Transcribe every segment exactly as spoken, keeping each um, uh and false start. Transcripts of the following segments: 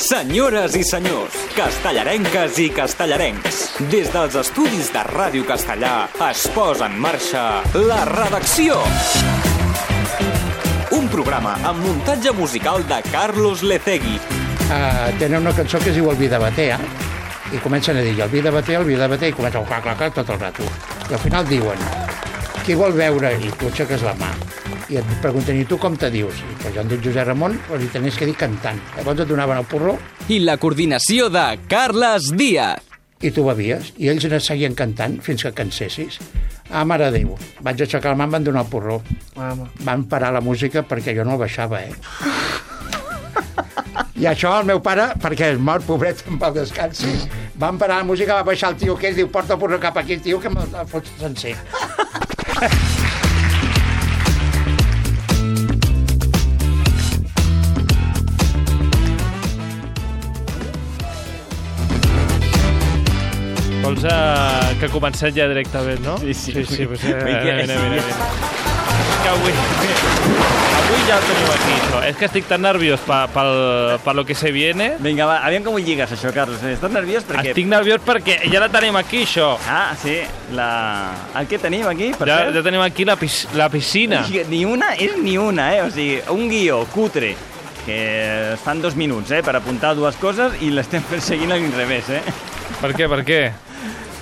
Senyores i senyors, castellarenques i castellarencs, des dels estudis de Ràdio Castellà es posa en marxa La Redacció. Un programa amb muntatge musical de Carlos Lecegui. Uh, tenen una cançó que es diu El vi de Batea, i comencen a dir el vi de Batea, el vi de Batea, i comença a clac, clac, clac tot el rato. I al final diuen, qui vol veure? I tu aixeques la mà. I et pregunten, i tu com te dius? I pues jo em dic Josep Ramon, però li tenies que dir cantant. Llavors et donaven el porró. I la coordinació de Carles Díaz. I tu bevies, i ells es seguien cantant fins que cansessis. Ah, mare de Déu, vaig aixecar la mà, em van donar el porró. Van parar la música perquè jo no el baixava, eh? I això el meu pare, perquè és mort, pobret, en pau descansi, van parar la música, va baixar el tio que es diu, porta el porró cap aquí, tio, que me'l fots sencer. Vols uh, que comencem ja directament, no? Sí, sí. sí, sí pues, uh, Vinga, mira, mira, mira. Que avui, avui ja el teniu aquí, això. És que estic tan nerviós per, per, per lo que se viene. Vinga, va, aviam com ho lligues, això, Carlos. Estàs nerviós perquè... Estic nerviós perquè ja la tenim aquí, això. Ah, sí. La... El que tenim aquí, per ja, cert? ja tenim aquí la, pis, la piscina. Ni una és ni una, eh? O sigui, un guió cutre que es fan dos minuts, eh? Per apuntar dues coses i l'estem perseguint a l'inrevés, eh? Per què, per què?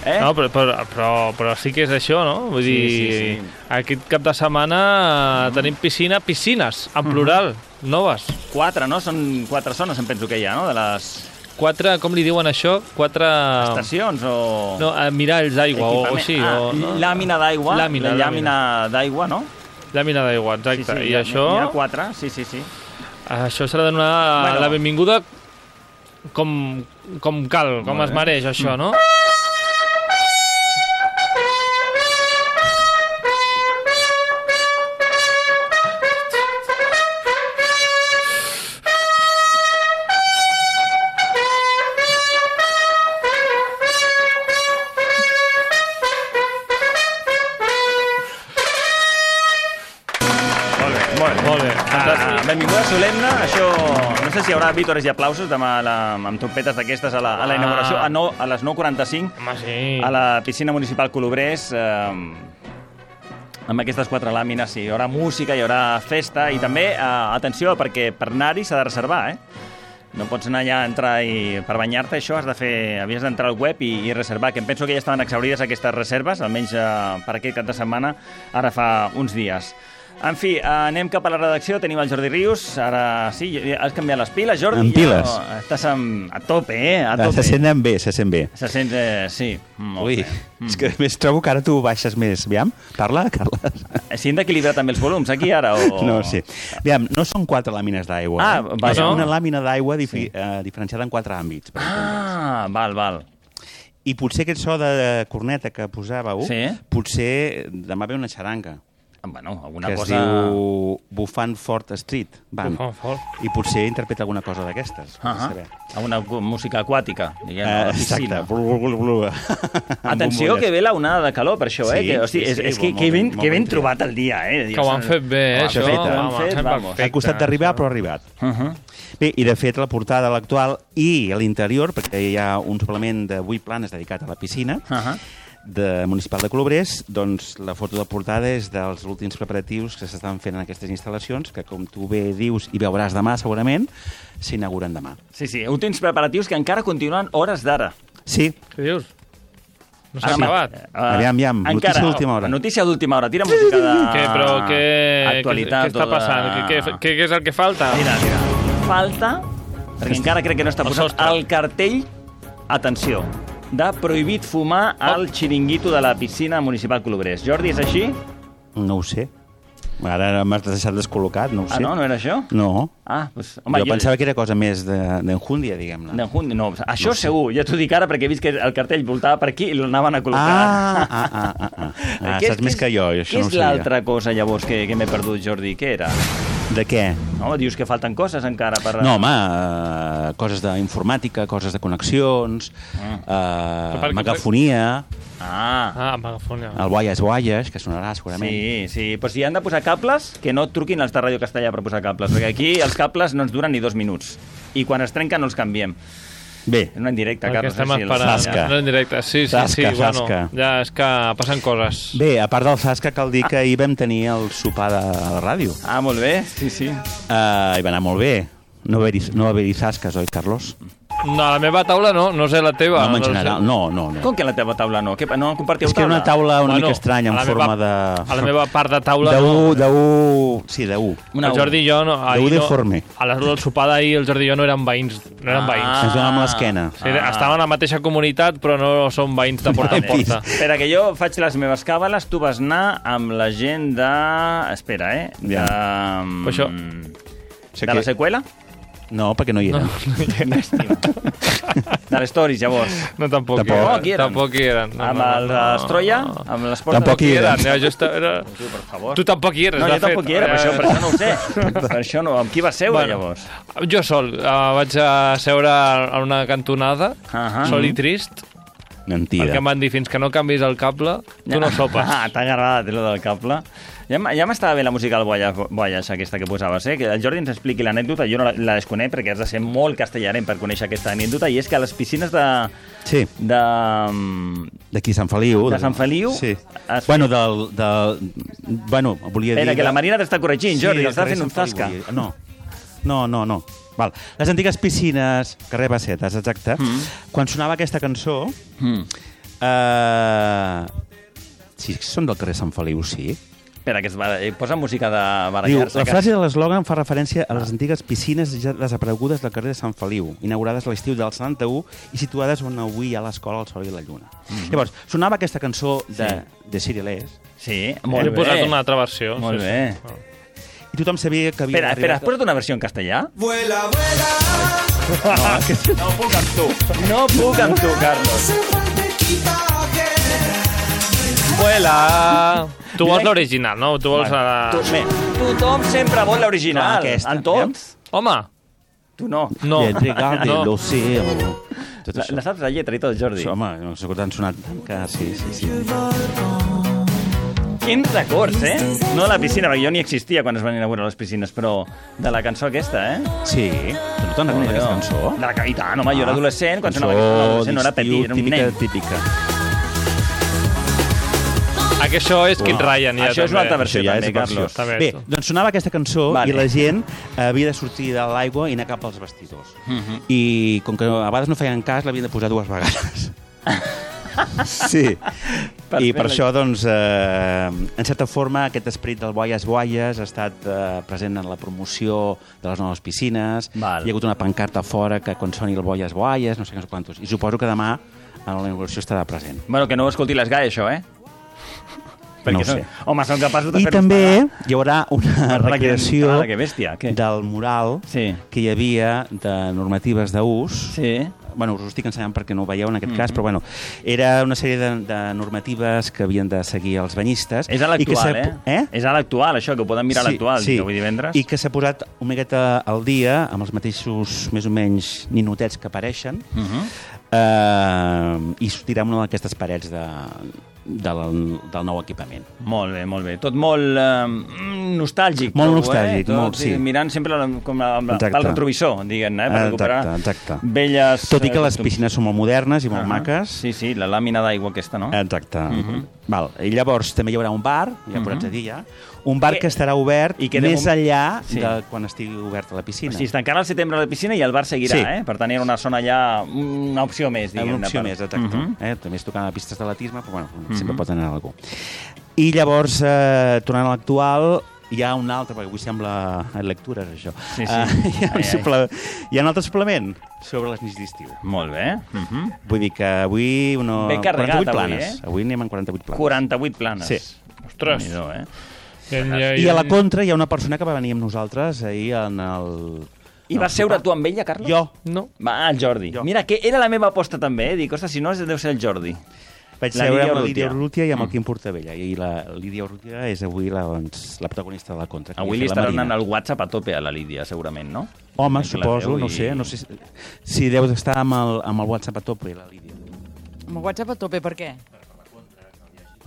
Eh? No, però, però, però, però sí que és això, no? Vull sí, dir, sí, sí. Aquest cap de setmana mm. tenim piscina, piscines, en plural, mm. noves. Quatre, no? Són quatre zones, em penso que hi ha, no? De les... Quatre, com li diuen això? Quatre... Estacions o... No, miralls d'aigua o així. Ah, o, no? Làmina d'aigua. Làmina, la làmina d'aigua, no? Làmina d'aigua, exacte. Sí, sí, I això... N'hi ha quatre, sí, sí, sí. Això s'ha de donar bueno. la benvinguda com, com cal, com es mereix, això, no? Benvinguda solemne, això... No sé si hi haurà vítores i aplausos demà la, amb trompetes d'aquestes a la, a la inauguració, a, no, a les nou quaranta-cinc, Home, sí. a la piscina municipal Colobrers, eh, amb aquestes quatre làmines, sí, hi haurà música, hi haurà festa, i també, eh, atenció, perquè per anar-hi s'ha de reservar, eh? No pots anar allà a entrar i per banyar-te, això has de fer... Havies d'entrar al web i, i reservar, que em penso que ja estaven exaurides aquestes reserves, almenys eh, per aquest cap de setmana, ara fa uns dies. En fi, anem cap a la redacció, tenim el Jordi Rius, ara sí, has canviat les piles, Jordi? En piles. Ja, estàs amb, a tope, eh? A tope. Se senten bé, se sent bé. Se sent, eh, sí. Molt Ui, bé. és que més trobo que ara tu baixes més. Aviam, parla, Carles. Si hem d'equilibrar també els volums aquí, ara, o...? No, sí. Aviam, no són quatre làmines d'aigua. Ah, eh? vaja. És una làmina d'aigua difi sí. eh, diferenciada en quatre àmbits. Per ah, val, val. I potser aquest so de corneta que posàveu, sí. potser demà ve una xaranga. Bueno, alguna que cosa... es diu Bufant Fort Street Band. Bufant Fort. I potser interpreta alguna cosa d'aquestes. Uh -huh. Alguna música aquàtica, diguem, uh, a la piscina. Exacte. Blu, blu, blu. Atenció, que ve la onada de calor per això, sí, eh? Que, hosti, sí, sí, és, és que, que, ben, que ben trobat el dia, eh? Que ho han fet bé, eh? Això, això, ho han fet, vamos. Ha costat d'arribar, però ha arribat. Uh -huh. Bé, i de fet la portada a l'actual i a l'interior, perquè hi ha un suplement de vuit planes dedicat a la piscina, uh -huh. de Municipal de Colobrers, doncs la foto de portada és dels últims preparatius que s'estan fent en aquestes instal·lacions, que com tu bé dius i veuràs demà segurament, s'inauguren demà. Sí, sí, últims preparatius que encara continuen hores d'ara. Sí. Què dius? No s'ha Ara, acabat. Uh, aviam, aviam, notícia d'última hora. Notícia d'última hora, tira música de... Què, però què... Actualitat, què, què està passant? de... Què, què, què és el que falta? Mira, mira. Falta, perquè encara crec que no està posat, el cartell, atenció, de prohibit fumar al xiringuito de la piscina municipal Colobrers. Jordi, és així? No ho sé. Ara m'has deixat descol·locat, no ho sé. Ah, no? No era això? No. Ah, doncs... Home, jo, jo pensava que era cosa més d'enjúndia, diguem-ne. D'enjúndia, no. Això no segur, ja t'ho dic ara, perquè he vist que el cartell voltava per aquí i l'anaven a col·locar. Ah, ah, ah, ah. ah. ah saps és, més que jo, això no ho sabia. Què és l'altra cosa, llavors, que, que m'he perdut, Jordi? Què era? De què? No, dius que falten coses encara per... No, home, uh, coses d'informàtica, coses de connexions, uh, uh, megafonia... Ah, ah megafonia. El Guaies Guaies, que sonarà segurament. Sí, sí, però si han de posar cables, que no et truquin els de Ràdio Castellà per posar cables, perquè aquí els cables no ens duren ni dos minuts. i quan es trenquen no els canviem. Bé, És una indirecta, El que Carlos. estem eh, sí, el- esperant. Zasca. No en directe. Sí, sí, Zasca, sí. Bueno, zasca. ja és que passen coses. bé, a part del Zasca, cal dir que ahir vam tenir el sopar de la ràdio. Ah, molt bé, sí, sí. Uh, I va anar molt bé. No va haver-hi no va haver Zasques, oi, Carlos? No, a la meva taula no, no sé la teva. No, en sé. general, no, no. no. Com que a la teva taula no? Que no compartiu És que era una taula una Bueno, mica estranya, a en la forma meva- de... A la meva part de taula De no. U, de U... Sí, de U. Una El Jordi i jo no... ahir de no- deforme. A l'hora del sopar d'ahir el Jordi i jo no eren veïns. No eren Ah. veïns. Ens donàvem l'esquena. Sí, estaven a la mateixa comunitat, però no són veïns de porta en Vale. porta. Espera, que jo faig les meves càbales, tu vas anar amb la gent de... Espera, eh? De... Ja. Però això- Sé De que- la seqüela? No, perquè no hi era. De les stories, llavors. No, tampoc, Tampoc. hi Tampoc hi eren. eren. Tampoc hi eren. No, Amb no, el no. Estroia? Amb les portes... Tampoc hi Hi eren. eren. Jo estava, era... Tu, per favor. Tu tampoc hi eres, No, de jo tampoc fet. hi era, per això, Eh, per això no ho sé. Per això no. Amb qui vas seure, Bueno. llavors? Jo sol. Uh, vaig a seure a una cantonada, Ahà. sol i trist, Mentida. perquè em van dir fins que no canvis el cable, tu no sopes. Ah, t'ha agradat, lo del cable. Ja, m- ja m'estava bé la música del Boyas, Boyas aquesta que posaves, eh? Que el Jordi ens expliqui l'anècdota, jo no la, la desconec perquè has de ser molt castellarenc per conèixer aquesta anècdota, i és que a les piscines de... Sí, de... d'aquí Sant Feliu. De Sant Feliu? Sí. Has Bueno, del, del... Bueno, volia dir... Espera, que la de- Marina t'està corregint, Jordi, del t'està carrer fent un Sant Feliu, zasca. volia dir. No, no, no, no. Val. Les antigues piscines, carrer Bassetes, exacte, mm. quan sonava aquesta cançó... Mm. Eh... Sí, són del carrer Sant Feliu, sí. Espera, que es va... eh, posa música de Diu, barallar-se. la que- frase de l'eslògan fa referència a les antigues piscines ja desaparegudes del carrer de Sant Feliu, inaugurades a l'estiu del setanta-u i situades on avui hi ha l'escola El Sol i la Lluna. Mm -hmm. Llavors, sonava aquesta cançó de, Sí. de Cirilés Sí, He molt bé. posat una altra versió. Molt sí, bé. Sí. i tothom sabia que havia Espera, espera, has arribat... posat una versió en castellà? Vuela, vuela, No, que... no puc amb tu. No puc amb tu, Carlos. suelta equipaje. Vuela! Tu vols l'original, no? Tu vols la... Tu, bé, tothom sempre vol l'original. Clar, aquesta, En tot. Home! Tu no. No. Le regale no. l'océano. Tot La, això. la saps la lletra i tot, Jordi? Això, home, no sé que t'han sonat tant que... Sí, sí, sí. Quins records, eh? No de la piscina, perquè jo ni existia quan es van inaugurar les piscines, però de la cançó aquesta, eh? Sí, tu no te'n recordes aquesta cançó? De la que, i tant, home, jo era adolescent, quan sonava Cançó aquesta, no, adolescent, no era d'estiu, petit, era un típica, nen. típica. Ah, que això és Kid Ryan, ja, Això és una també. altra versió, Això ja també, és versió. Carlos. També. Bé, doncs sonava aquesta cançó Vale. i la gent havia de sortir de l'aigua i anar cap als vestidors. Mhm. I com que a vegades no feien cas, l'havien de posar dues vegades. Sí. Per I per fer-la- això, doncs, eh, en certa forma, aquest esperit del Boies Boies ha estat eh, present en la promoció de les noves piscines. Val. Hi ha hagut una pancarta a fora que quan soni el Boies Boies, no sé què quantos. I suposo que demà a la inauguració estarà present. Bueno, que no ho escolti les G A E, això, eh? No ho són- sé. Home, són capaços de I fer-nos també pagar. hi haurà una Ara que- recreació ara que bèstia, què? del mural Sí. que hi havia de normatives d'ús. Sí. Bueno, us ho estic ensenyant perquè no ho veieu en aquest mm -hmm. cas, però bueno, era una sèrie de, de normatives que havien de seguir els banyistes. És a i que l'actual, s'ha- eh? eh? És a l'actual, això, que ho poden mirar a l'actual, sí. avui divendres. I que s'ha posat una miqueta al dia amb els mateixos, més o menys, ninotets que apareixen, Uh -huh. eh, i sortirà una d'aquestes parets de, del, del nou equipament. Molt bé, molt bé. Tot molt eh, mm, nostàlgic. Molt trobo, nostàlgic, eh? Tot, molt, sí. Mirant sempre la, com la, amb la, Exacte. pel retrovisor, diguem-ne, eh? Per recuperar Exacte, exacte. velles... Tot i que eh, les costums. piscines són molt modernes i molt Ah, maques. Sí, sí, la làmina d'aigua aquesta, no? Exacte. Mhm. Val. I llavors també hi haurà un bar, ja Mhm. posats a dir ja, un bar Que- que estarà obert i que de més mom- enllà Sí. de quan estigui oberta la piscina. O sigui, es tancarà al setembre la piscina i el bar seguirà, Sí. eh? Per tant, era una zona ja... una opció més, diguem-ne. Una opció per- més, exacte. Mhm. eh? També es tocant a pistes d'atletisme, però bueno, Mhm. sempre pot anar algú. I llavors, eh, tornant a l'actual, hi ha un altre, perquè avui sembla lectures, això. Sí, sí. Eh, hi, ha un Ai, ai. suple... hi ha un altre suplement sobre les nits d'estiu. Molt bé. Mhm. Vull dir que avui... Uno... Ben carregat, quaranta-vuit avui, planes. eh? Avui anem en quaranta-vuit planes. quaranta-vuit planes. Sí. Ostres. Déu-n'hi-do, eh? I a la contra hi ha una persona que va venir amb nosaltres ahir en el... I vas seure tu amb ella, Carlos? Jo. No. Va, el Jordi. Jo. Mira, que era la meva aposta també, eh? Dic, ostres, si no, deu ser el Jordi. Vaig La seure Lídia amb la Urrutia. Lídia Urrutia i amb el Mm. Quim Portabella. I la Lídia Urrutia és avui la, doncs, la protagonista de la contra. que Avui havia li fet la estarà Marina. anant el WhatsApp a tope a la Lídia, segurament, no? Home, Que la suposo, veu no i- sé. No sé si, si deus estar amb el, amb el WhatsApp a tope, la Lídia. Amb el WhatsApp a tope, per què?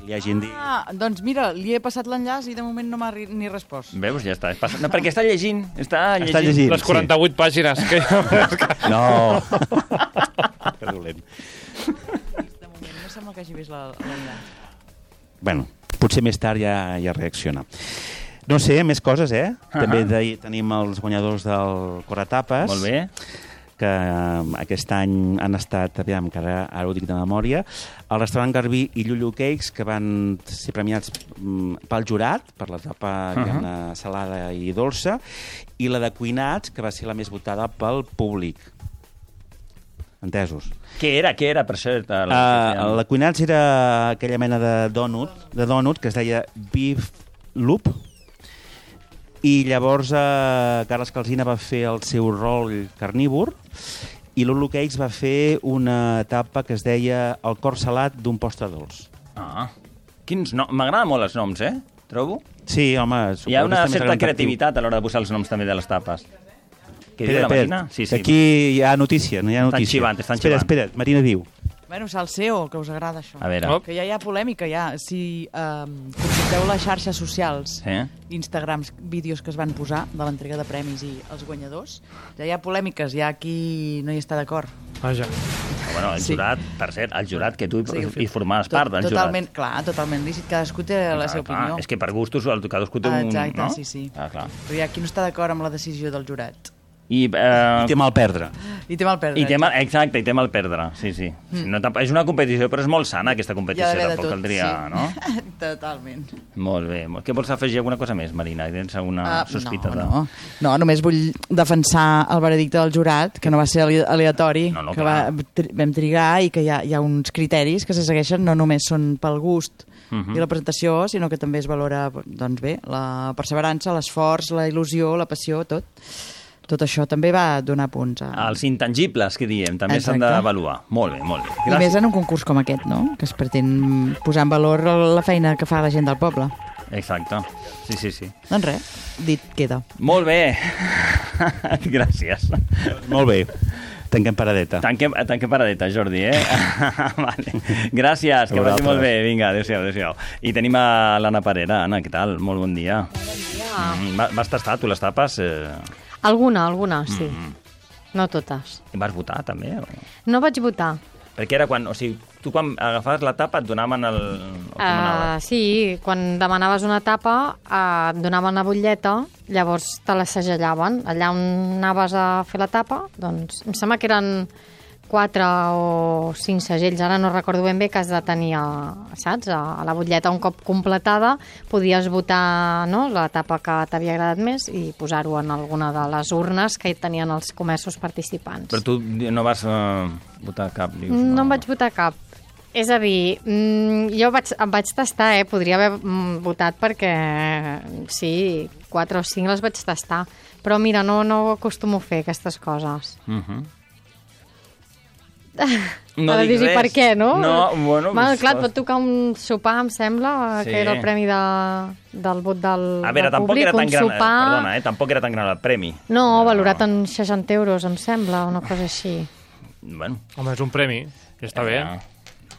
li hagin dit. Ah, doncs mira, li he passat l'enllaç i de moment no m'ha ri- ni respost. Veus? Ja està. Passa... No, perquè està llegint. Està llegint. Està llegint. Les quaranta-vuit sí. pàgines. Que... No! Que dolent. De moment no sembla que hagi vist la- l'enllaç. Bueno, potser més tard ja, ja reacciona. No sé, més coses, eh? Uh -huh. També de, tenim els guanyadors del Coratapes. Molt bé. Que eh, aquest any han estat, aviam, que ara, ara ho dic de memòria, el restaurant Garbí i Llullo Cakes, que van ser premiats mm, pel jurat, per l'etapa uh -huh. salada i dolça, i la de Cuinats, que va ser la més votada pel públic. Entesos? Què era? Què era, per cert? Uh, la Cuinats era aquella mena de dònut, de dònut que es deia Beef Loop, i llavors eh, Carles Calsina va fer el seu rol carnívor i l'Ulu Cakes va fer una etapa que es deia el cor salat d'un postre dolç. Ah, quins noms? M'agraden molt els noms, eh? Trobo. Sí, home... Hi ha una també certa serà creativitat a l'hora de posar els noms també de les tapes. Què diu Espera, la espera, Marina? Sí, sí. aquí hi ha notícia, no hi ha Estan notícia. xivant, estan espera, xivant. espera, Marina diu. Bueno, salseo, que us agrada això. A veure. Oh. Que ja hi ha polèmica, ja. Si eh, consulteu les xarxes socials, Sí. Instagrams, vídeos que es van posar de l'entrega de premis i els guanyadors, ja hi ha polèmiques, hi ha qui no hi està d'acord. Vaja. Bueno, el Sí. jurat, per cert, el jurat que tu Sí. hi formaves Tot- part del totalment, jurat. Clar, totalment lícit. Cadascú té la seva Clar, opinió. És que per gustos, el- cadascú té Ah, un... exacte, no? sí, sí. Ah, clar. Però hi ha qui no està d'acord amb la decisió del jurat. I, eh, I té mal perdre. I té mal perdre. I té mal, exacte, i té mal perdre, sí, sí. Mm. No, tamp- és una competició, però és molt sana, aquesta Hi competició, ha d'haver de tampoc tot, caldria, sí. no? Totalment. Molt bé. Molt- Què vols afegir alguna cosa més, Marina? Tens alguna Uh, sospita? no, de... no. no, només vull defensar el veredicte del jurat, que no va ser ale- aleatori, No, no, que va, clar. tri vam trigar i que hi ha, hi ha uns criteris que se segueixen, no només són pel gust Uh -huh. i la presentació, sinó que també es valora doncs bé, la perseverança, l'esforç, la il·lusió, la passió, tot. Tot això també va donar punts. A... Els intangibles, que diem, també s'han Exacte. d'avaluar. Molt bé, molt bé. I més en un concurs com aquest, no? Que es pretén posar en valor la feina que fa la gent del poble. Exacte. Sí, sí, sí. Doncs res, dit queda. Molt bé. Gràcies. Molt bé. Tanquem paradeta. Tanquem, tanquem paradeta, Jordi, eh? Vale. Gràcies, que vagi molt bé. Vinga, adéu-siau, adéu-siau. I tenim a l'Anna Parera. Anna, què tal? Molt bon dia. Bon dia. Mm, va- vas tastar, tu, les tapes? Eh... Alguna, alguna, sí. No totes. I vas votar, també? O... No vaig votar. Perquè era quan... O sigui, tu quan agafaves la tapa et donaven el... el que Uh, manaves. sí, quan demanaves una tapa uh, et donaven la butlleta, llavors te la segellaven. Allà on anaves a fer la tapa, doncs em sembla que eren quatre o cinc segells, ara no recordo ben bé, que has de tenir, a, saps? A, a la butlleta un cop completada podies votar, no?, la tapa que t'havia agradat més i posar-ho en alguna de les urnes que hi tenien els comerços participants. Però tu no vas uh, votar cap, dius? No em vaig votar cap. És a dir, mm, jo vaig, em vaig tastar, eh? Podria haver mm, votat perquè, sí, quatre o cinc les vaig tastar. Però mira, no, no acostumo a fer aquestes coses. Uh -huh. No ha de dir per què, no? No, bueno... Bueno, pues, clar, et pot tocar un sopar, em sembla, Sí. que era el premi de, del vot del, A veure, del tampoc públic. era tan un gran... sopar... Perdona, eh? Tampoc era tan gran el premi. No, valorat en seixanta euros, em sembla, una cosa així. Bueno, Home, és un premi, ja està bé. ja.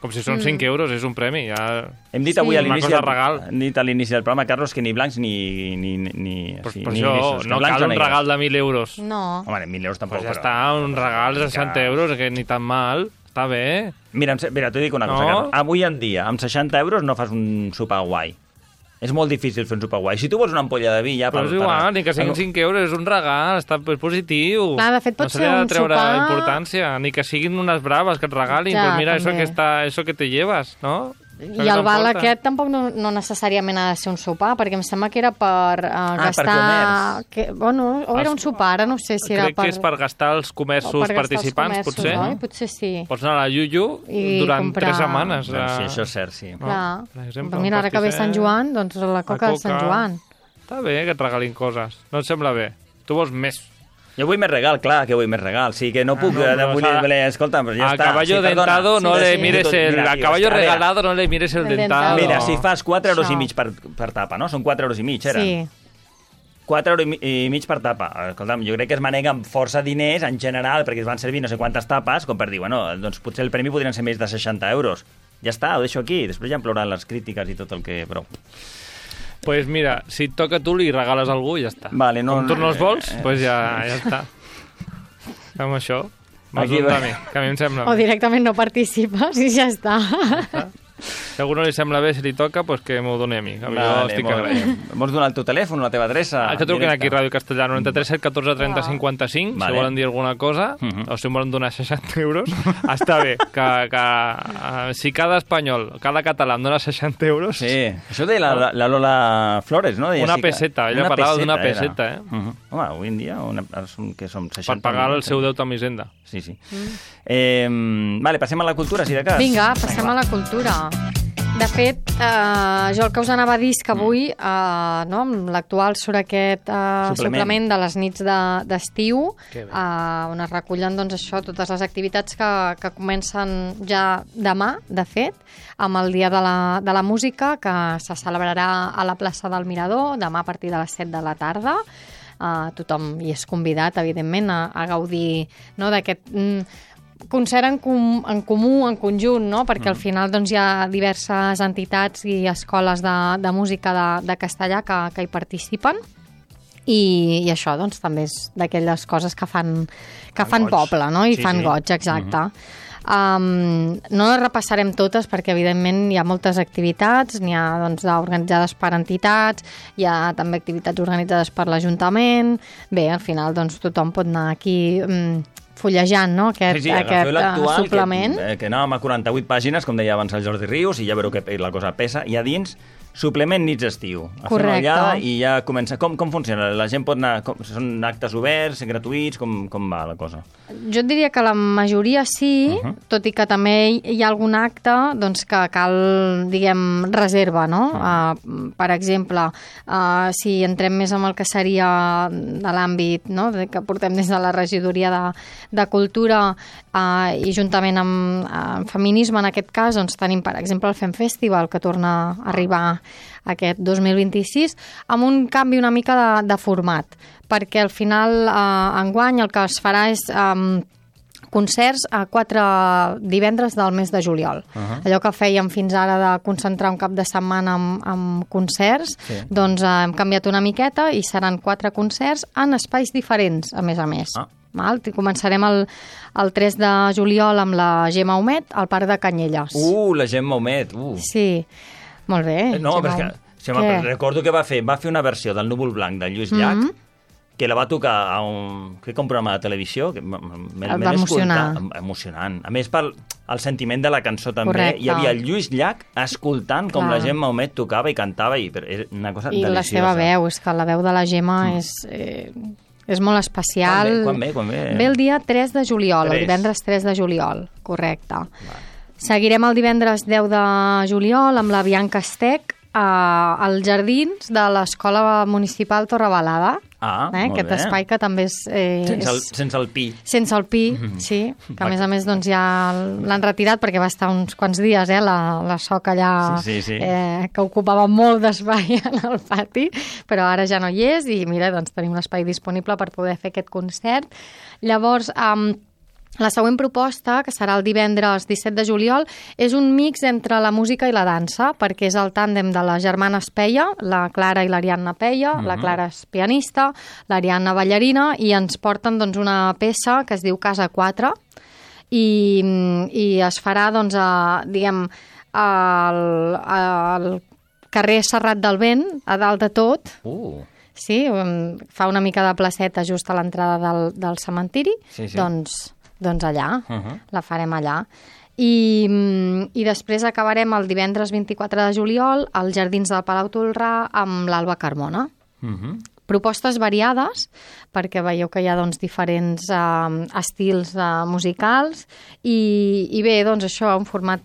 Com si són cinc euros, és un premi. Ja... Hem dit Sí. avui a Una l'inici cosa del, regal. hem dit a l'inici del programa, Carlos, que ni blancs ni... ni, ni Pues, sí, per ni això grisos, que no blancs cal o un negres. regal de mil euros. No. Home, mil euros tampoc, Pues ja però... està, un regal de seixanta euros, que ni tan mal. Està bé. Mira, em se- mira t'ho dic una cosa, No? Carlos. Avui en dia, amb seixanta euros no fas un sopar guai. És molt difícil fer un sopar guai. Si tu vols una ampolla de vi, ja... Però és igual, ni que siguin cinc euros, és un regal, està és positiu. Clar, de fet, pot no se ser li ha de un treure sopar- importància, ni que siguin unes braves que et regalin, Ja, pues mira, eso també. que, està, eso que te llevas, no? Això I que el val t'emporta. aquest tampoc no, no necessàriament ha de ser un sopar, perquè em sembla que era per uh, per gastar... comerç. Que, bueno, o era un sopar, ara no sé si era Crec per... que és per gastar els o comerços per gastar els participants, comerços, potser. Oi? Potser sí. Pots anar a la Yuyu I durant comprar- tres setmanes. Bueno, a- sí, això és cert, sí. No, Clar. per exemple, Però mira, un ara que ve pastisset, Sant Joan, doncs la coca, de Sant Joan. Està bé que et regalin coses. No et sembla bé? Tu vols més. Jo vull més regal, clar que vull més regal. Sí que no puc... no, no, però vull, s'ha- voler, escolta, però ja a està. caballo sí, perdona. dentado no Sí, le sí, mires tot- el... mira, A tio, caballo a veure, regalado no le mires el El dentado. dentado. Mira, si fas quatre euros i Això. mig per, per tapa, no? Són quatre euros i mig, eren? Sí. quatre euros i mi- i mig per tapa. Escolta'm, jo crec que es manega amb força diners en general, perquè es van servir no sé quantes tapes, com per dir, bueno, doncs potser el premi podrien ser més de seixanta euros. Ja està, ho deixo aquí. Després ja em plouran les crítiques i tot el que... Però... Pues mira, si et toca tu li regales a algú i ja està. Vale, no, Com tu no els vols, eh, pues ja, ja està. Fem això. Aquí Aquí, va. que a mi em sembla O bé. directament no participes i ja està. Si a algú no li sembla bé, si li toca, pues que m'ho doni a mi. Que jo estic molt bé. agraït. Vols donar el teu telèfon, la teva adreça? Ah, que truquen Directe. aquí, Ràdio Castellà, noranta-tres set catorze trenta cinquanta-cinc, Vale. si volen dir alguna cosa, Mhm. o si em volen donar seixanta euros, està bé, que, que uh, si cada espanyol, cada català em dona seixanta euros, Sí, això deia la, la, la Lola Flores, no? Deia Una sí que- peseta, ella una parlava d'una era. peseta, eh? Uh -huh. Home, avui en dia, una, ara som, que som per seixanta... pagar el milions, seu eh? deute amb Hisenda. Sí, sí. Mm. Eh, vale, passem a la cultura, si de cas. Vinga, passem a la cultura. De fet, eh, jo el que us anava a dir és que avui, eh, no, amb l'actual surt aquest eh, Suplement. suplement de les nits de- d'estiu, Que bé. eh, on es recullen doncs, això, totes les activitats que, que comencen ja demà, de fet, amb el Dia de la, de la Música, que se celebrarà a la plaça del Mirador, demà a partir de les set de la tarda. Uh, tothom hi és convidat, evidentment, a, a gaudir, no, d'aquest mm, concert en, com, en comú, en conjunt, no? Perquè al final doncs, hi ha diverses entitats i escoles de, de música de, de castellà que, que hi participen. I, i això doncs, també és d'aquelles coses que fan, que fan goig. poble, no? I Sí, fan sí. goig, exacte. Um, no les repassarem totes perquè evidentment hi ha moltes activitats, n'hi ha doncs, organitzades per entitats, hi ha també activitats organitzades per l'Ajuntament. Bé, al final doncs, tothom pot anar aquí um, fullejant, no? Aquest, Sí, sí, agafeu aquest uh, l'actual, suplement. que, eh, que anàvem a quaranta-vuit pàgines, com deia abans el Jordi Rius, i ja veureu que la cosa pesa, i a dins suplement nits d'estiu. A fer una Correcte. ullada i ja comença... Com, com funciona? La gent pot anar... Com, són actes oberts, gratuïts? Com, com va la cosa? Jo et diria que la majoria sí, uh Mhm. -huh. tot i que també hi ha algun acte doncs, que cal, diguem, reserva, no? Mhm. Uh, per exemple, uh, si entrem més en el que seria de l'àmbit, no?, de, que portem des de la regidoria de, de Cultura uh, i juntament amb, amb Feminisme, en aquest cas, doncs tenim, per exemple, el Fem Festival, que torna a arribar aquest dos mil vint-i-sis, amb un canvi una mica de, de format, perquè al final, eh, enguany, el que es farà és eh, concerts a quatre divendres del mes de juliol. Uh -huh. Allò que fèiem fins ara de concentrar un cap de setmana amb, amb concerts, Sí. doncs eh, hem canviat una miqueta i seran quatre concerts en espais diferents, a més a més. Ah. Val? I començarem el, el tres de juliol amb la Gemma Humet al Parc de Canyelles. Uh, la Gemma Humet, uh. Sí, molt bé. No, Gemma però és Humet. que... Si me, recordo que va fer, va fer una versió del Núvol Blanc de Lluís Llach, mm -hmm. que la va tocar a un, crec que un programa de televisió, que me, me, El me va l'he emocionar. escoltat, emocionant. A més, pel el sentiment de la cançó també, Correcte. hi havia el Lluís Llach escoltant com Clar. la Gemma Humet tocava i cantava, i però era una cosa I deliciosa. la seva veu, és que la veu de la Gemma mm. és, eh, és molt especial. Quan ve? Quan ve? Quan ve? Ve el dia tres de juliol, tres. el divendres tres de juliol, correcte. Va. Seguirem el divendres deu de juliol amb la Bianca Estec uh, als jardins de l'Escola Municipal Torrebalada. Ah, eh? molt Aquest bé. espai que també és... Eh, Sense el, és... sense el pi. Sense el pi, Mhm. sí, que a més a més doncs, ja l'han retirat perquè va estar uns quants dies, eh, la, la soca allà, Sí, sí, sí. Eh, que ocupava molt d'espai en el pati, però ara ja no hi és i mira, doncs tenim l'espai disponible per poder fer aquest concert. Llavors, um, la següent proposta, que serà el divendres disset de juliol, és un mix entre la música i la dansa, perquè és el tàndem de les germanes Peia, la Clara i l'Ariadna Peia, uh -huh. la Clara és pianista, l'Ariadna ballarina, i ens porten doncs, una peça que es diu Casa quatre, i, i es farà, doncs, a, diguem, al, al carrer Serrat del Vent, a dalt de tot. Uh. Sí, fa una mica de placeta just a l'entrada del, del cementiri, Sí, sí. doncs doncs allà, uh Uh-huh. -huh. la farem allà. I, I després acabarem el divendres vint-i-quatre de juliol als Jardins del Palau Tolrà amb l'Alba Carmona. Uh -huh. Propostes variades, perquè veieu que hi ha doncs, diferents eh, estils eh, musicals i, i bé, doncs això, un format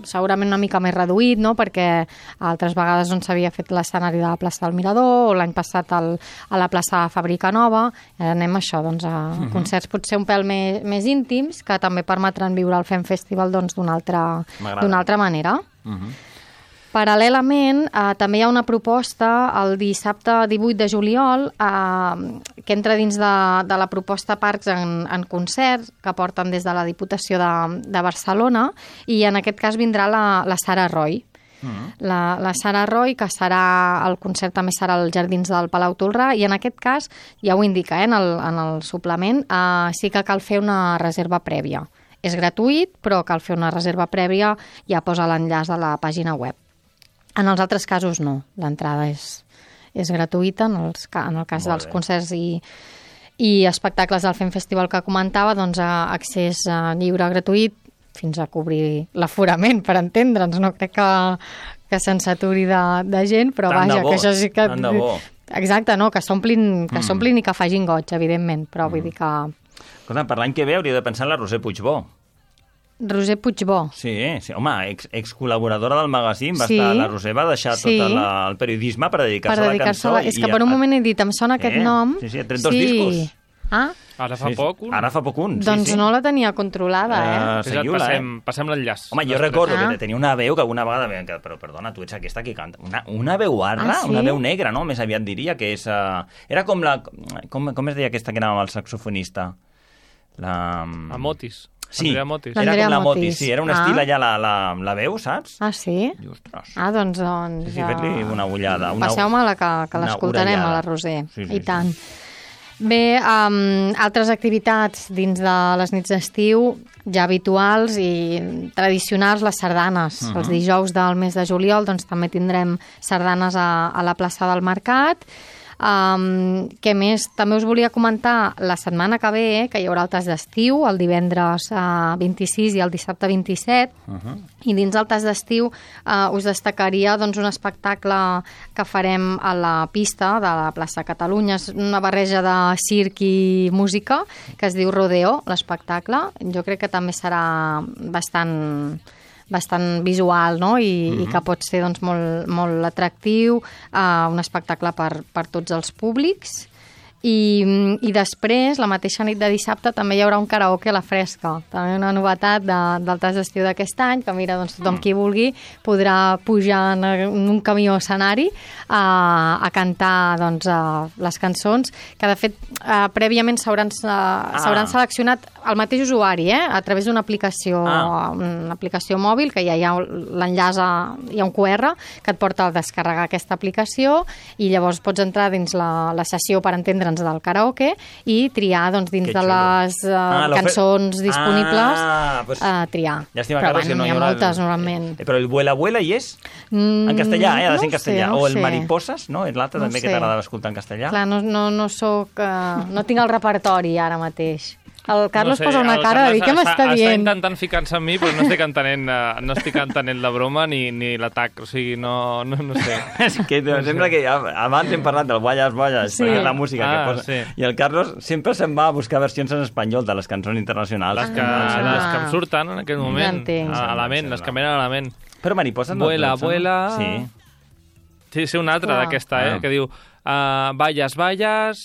segurament una mica més reduït, no? Perquè altres vegades on s'havia fet l'escenari de la plaça del Mirador o l'any passat al, a la plaça Fàbrica Nova. Ara anem a això, doncs, a uh-huh. concerts potser un pèl més, més íntims que també permetran viure el Fem Festival doncs, d'una altra, M'agrada. d'una altra manera. Uh-huh. Paral·lelament, eh, també hi ha una proposta el dissabte divuit de juliol eh, que entra dins de, de la proposta Parcs en, en concert que porten des de la Diputació de, de Barcelona, i en aquest cas vindrà la, la Sara Roy. Uh-huh. La, la Sara Roy, que serà, el concert també serà als Jardins del Palau Tolrà, i en aquest cas, ja ho indica eh, en, el, en el suplement, eh, sí que cal fer una reserva prèvia. És gratuït, però cal fer una reserva prèvia, ja posa l'enllaç de la pàgina web. En els altres casos no, l'entrada és, és gratuïta, en, els, en el cas Molt dels bé. concerts i, i espectacles del Fem Festival que comentava, doncs accés lliure gratuït fins a cobrir l'aforament, per entendre'ns. No crec que, que se'n saturi de, de gent, però tant vaja, bo, que això sí que... Tant de bo. Exacte, no, que s'omplin que mm. s'omplin i que facin goig, evidentment, però mm. vull dir que... Escolta, per l'any que ve hauria de pensar en la Roser Puigbó. Roser Puigbó. Sí, sí, home, ex, ex-col·laboradora del magazín, va sí. estar, la Roser va deixar sí. tot la, el periodisme per dedicar-se per a la dedicar-se cançó. A la... És que per un moment he dit, em sona eh? aquest nom. Sí, sí, trenta-dos sí. discos. Ah? Ara fa sí, poc un. Ara fa poc un, sí, Doncs sí. no la tenia controlada, eh? Uh, seguiu-la, passem, eh? Passem l'enllaç. Home, jo recordo ah. que tenia una veu que alguna vegada... Que, però, perdona, tu ets aquesta que canta. Una, una veu arra, ah, sí? Una veu negra, no? Més aviat diria que és... Uh, era com la... Com, com es deia aquesta que anava amb el saxofonista? La... Amotis. Sí, Andrea Motis. era com la Motis, sí, era un estil ah. allà la, la, la veu, saps? Ah, sí? I, ostres. Ah, doncs... doncs sí, sí, fet-li una ullada. Una... Passeu-me-la, que, que l'escoltarem a la Roser. Sí, sí, I tant. Sí. Bé, um, altres activitats dins de les nits d'estiu, ja habituals i tradicionals, les sardanes. Uh -huh. Els dijous del mes de juliol doncs, també tindrem sardanes a, a la plaça del Mercat. Um, què més? També us volia comentar la setmana que ve, eh, que hi haurà el tas d'estiu, el divendres uh, vint-i-sis i el dissabte vint-i-set, uh -huh. i dins el tas d'estiu uh, us destacaria doncs, un espectacle que farem a la pista de la plaça Catalunya. És una barreja de circ i música que es diu Rodeo, l'espectacle. Jo crec que també serà bastant... bastant visual, no? I, mm-hmm. i que pot ser doncs, molt, molt atractiu, uh, un espectacle per, per tots els públics. I, I després, la mateixa nit de dissabte, també hi haurà un karaoke a la fresca. També una novetat de, del tas d'estiu d'aquest any, que mira, doncs, tothom qui vulgui podrà pujar en un camió escenari a, a cantar doncs, a les cançons, que de fet uh, prèviament s'hauran uh, ah. seleccionat el mateix usuari, eh? A través d'una aplicació, ah. una aplicació mòbil, que ja hi ha l'enllaç, hi ha un Q R que et porta a descarregar aquesta aplicació, i llavors pots entrar dins la, la sessió, per entendre'ns, del karaoke, i triar doncs, dins que de les uh, ah, cançons disponibles, ah, pues, uh, triar. Llàstima, però Carlos, bueno, no hi ha hi moltes, el... normalment. Eh, però el Vuela Vuela hi és? Mm, en castellà, eh? Ha de ser en no castellà. Sé, no o el sé. Mariposas, no? És l'altre no també sé. que t'agradava escoltar en castellà. Clar, no, no, no soc... Uh, no tinc el repertori ara mateix. El Carlos no sé, posa una cara de dir què m'està dient. Està intentant ficar-se en mi, però no estic entenent, uh, no estic entenent la broma ni, ni l'atac. O sigui, no, no, no sé. És que no sembla sé. que abans hem parlat del Ballas Ballas, sí. la música ah, que posa. Sí. I el Carlos sempre se'n va a buscar versions en espanyol de les cançons internacionals. Les que, ah. les que em surten en aquell moment. Ja a la ment, les que em venen a la ment. Però Mariposa no... Vuela, vuela... Sí. Sí, sí, una altra d'aquesta, eh? Ah. Que diu... Uh, Ballas, ballas...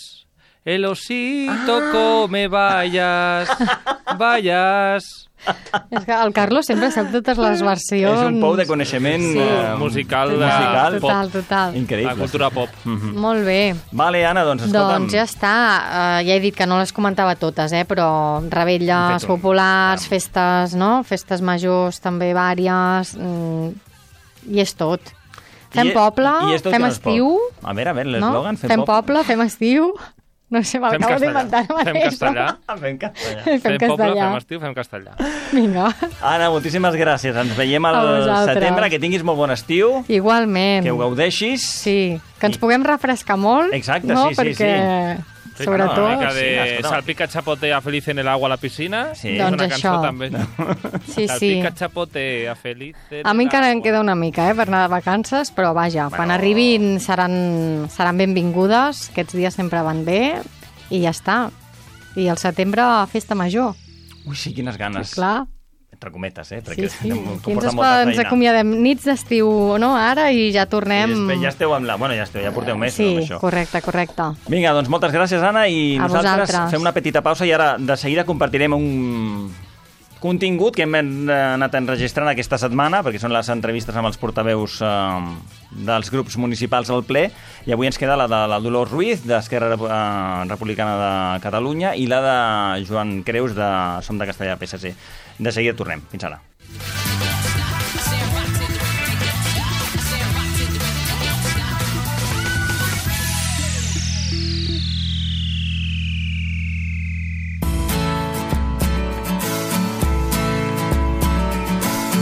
El osito ah. come vallas, vallas... És que el Carlos sempre sap totes les versions... És un pou de coneixement sí. uh, musical, total, musical total, pop. Total. Increïble. La cultura pop. Mm-hmm. Molt bé. Vale, Anna, doncs escolta'm. Doncs ja està. Uh, ja he dit que no les comentava totes, eh? Però revetlles populars, ja. festes, no? Festes majors també vàries... Mm, i és tot. Fem I, poble, i fem estiu... A veure, a veure, l'eslògan, no? fem, fem poble, fem estiu... No sé, m'acabo d'inventar ara mateix. Fem castellà. Fem castellà. Fem, fem castellà. poble, fem estiu, fem castellà. Vinga. Anna, moltíssimes gràcies. Ens veiem al setembre. Que tinguis molt bon estiu. Igualment. Que ho gaudeixis. Sí, que ens puguem refrescar molt. Exacte, no? sí, sí, Perquè... sí. Sí, sobretot... Una mica de sí, salpica chapotea feliz en el agua a la piscina. Sí. És doncs una això. cançó també. Sí, sí. Salpica chapotea feliz en A mi encara em queda una mica, eh, per anar de vacances, però vaja, bueno. quan arribin seran, seran benvingudes. Aquests dies sempre van bé i ja està. I al setembre, festa major. Ui, sí, quines ganes. Sí, clar. Entre cometes, eh? Perquè sí, sí. Aquí ens, ens acomiadem nits d'estiu, no? Ara, i ja tornem... Sí, ja esteu amb la... Bueno, ja esteu, ja porteu més, sí, amb això. Sí, correcte, correcte. Vinga, doncs moltes gràcies, Anna, i a nosaltres vosaltres. Fem una petita pausa i ara de seguida compartirem un... contingut que hem anat enregistrant aquesta setmana, perquè són les entrevistes amb els portaveus eh, dels grups municipals al ple, i avui ens queda la de la Dolors Ruiz, d'Esquerra eh, Republicana de Catalunya, i la de Joan Creus, de Som de Castellà, P S C. De seguida tornem. Fins ara.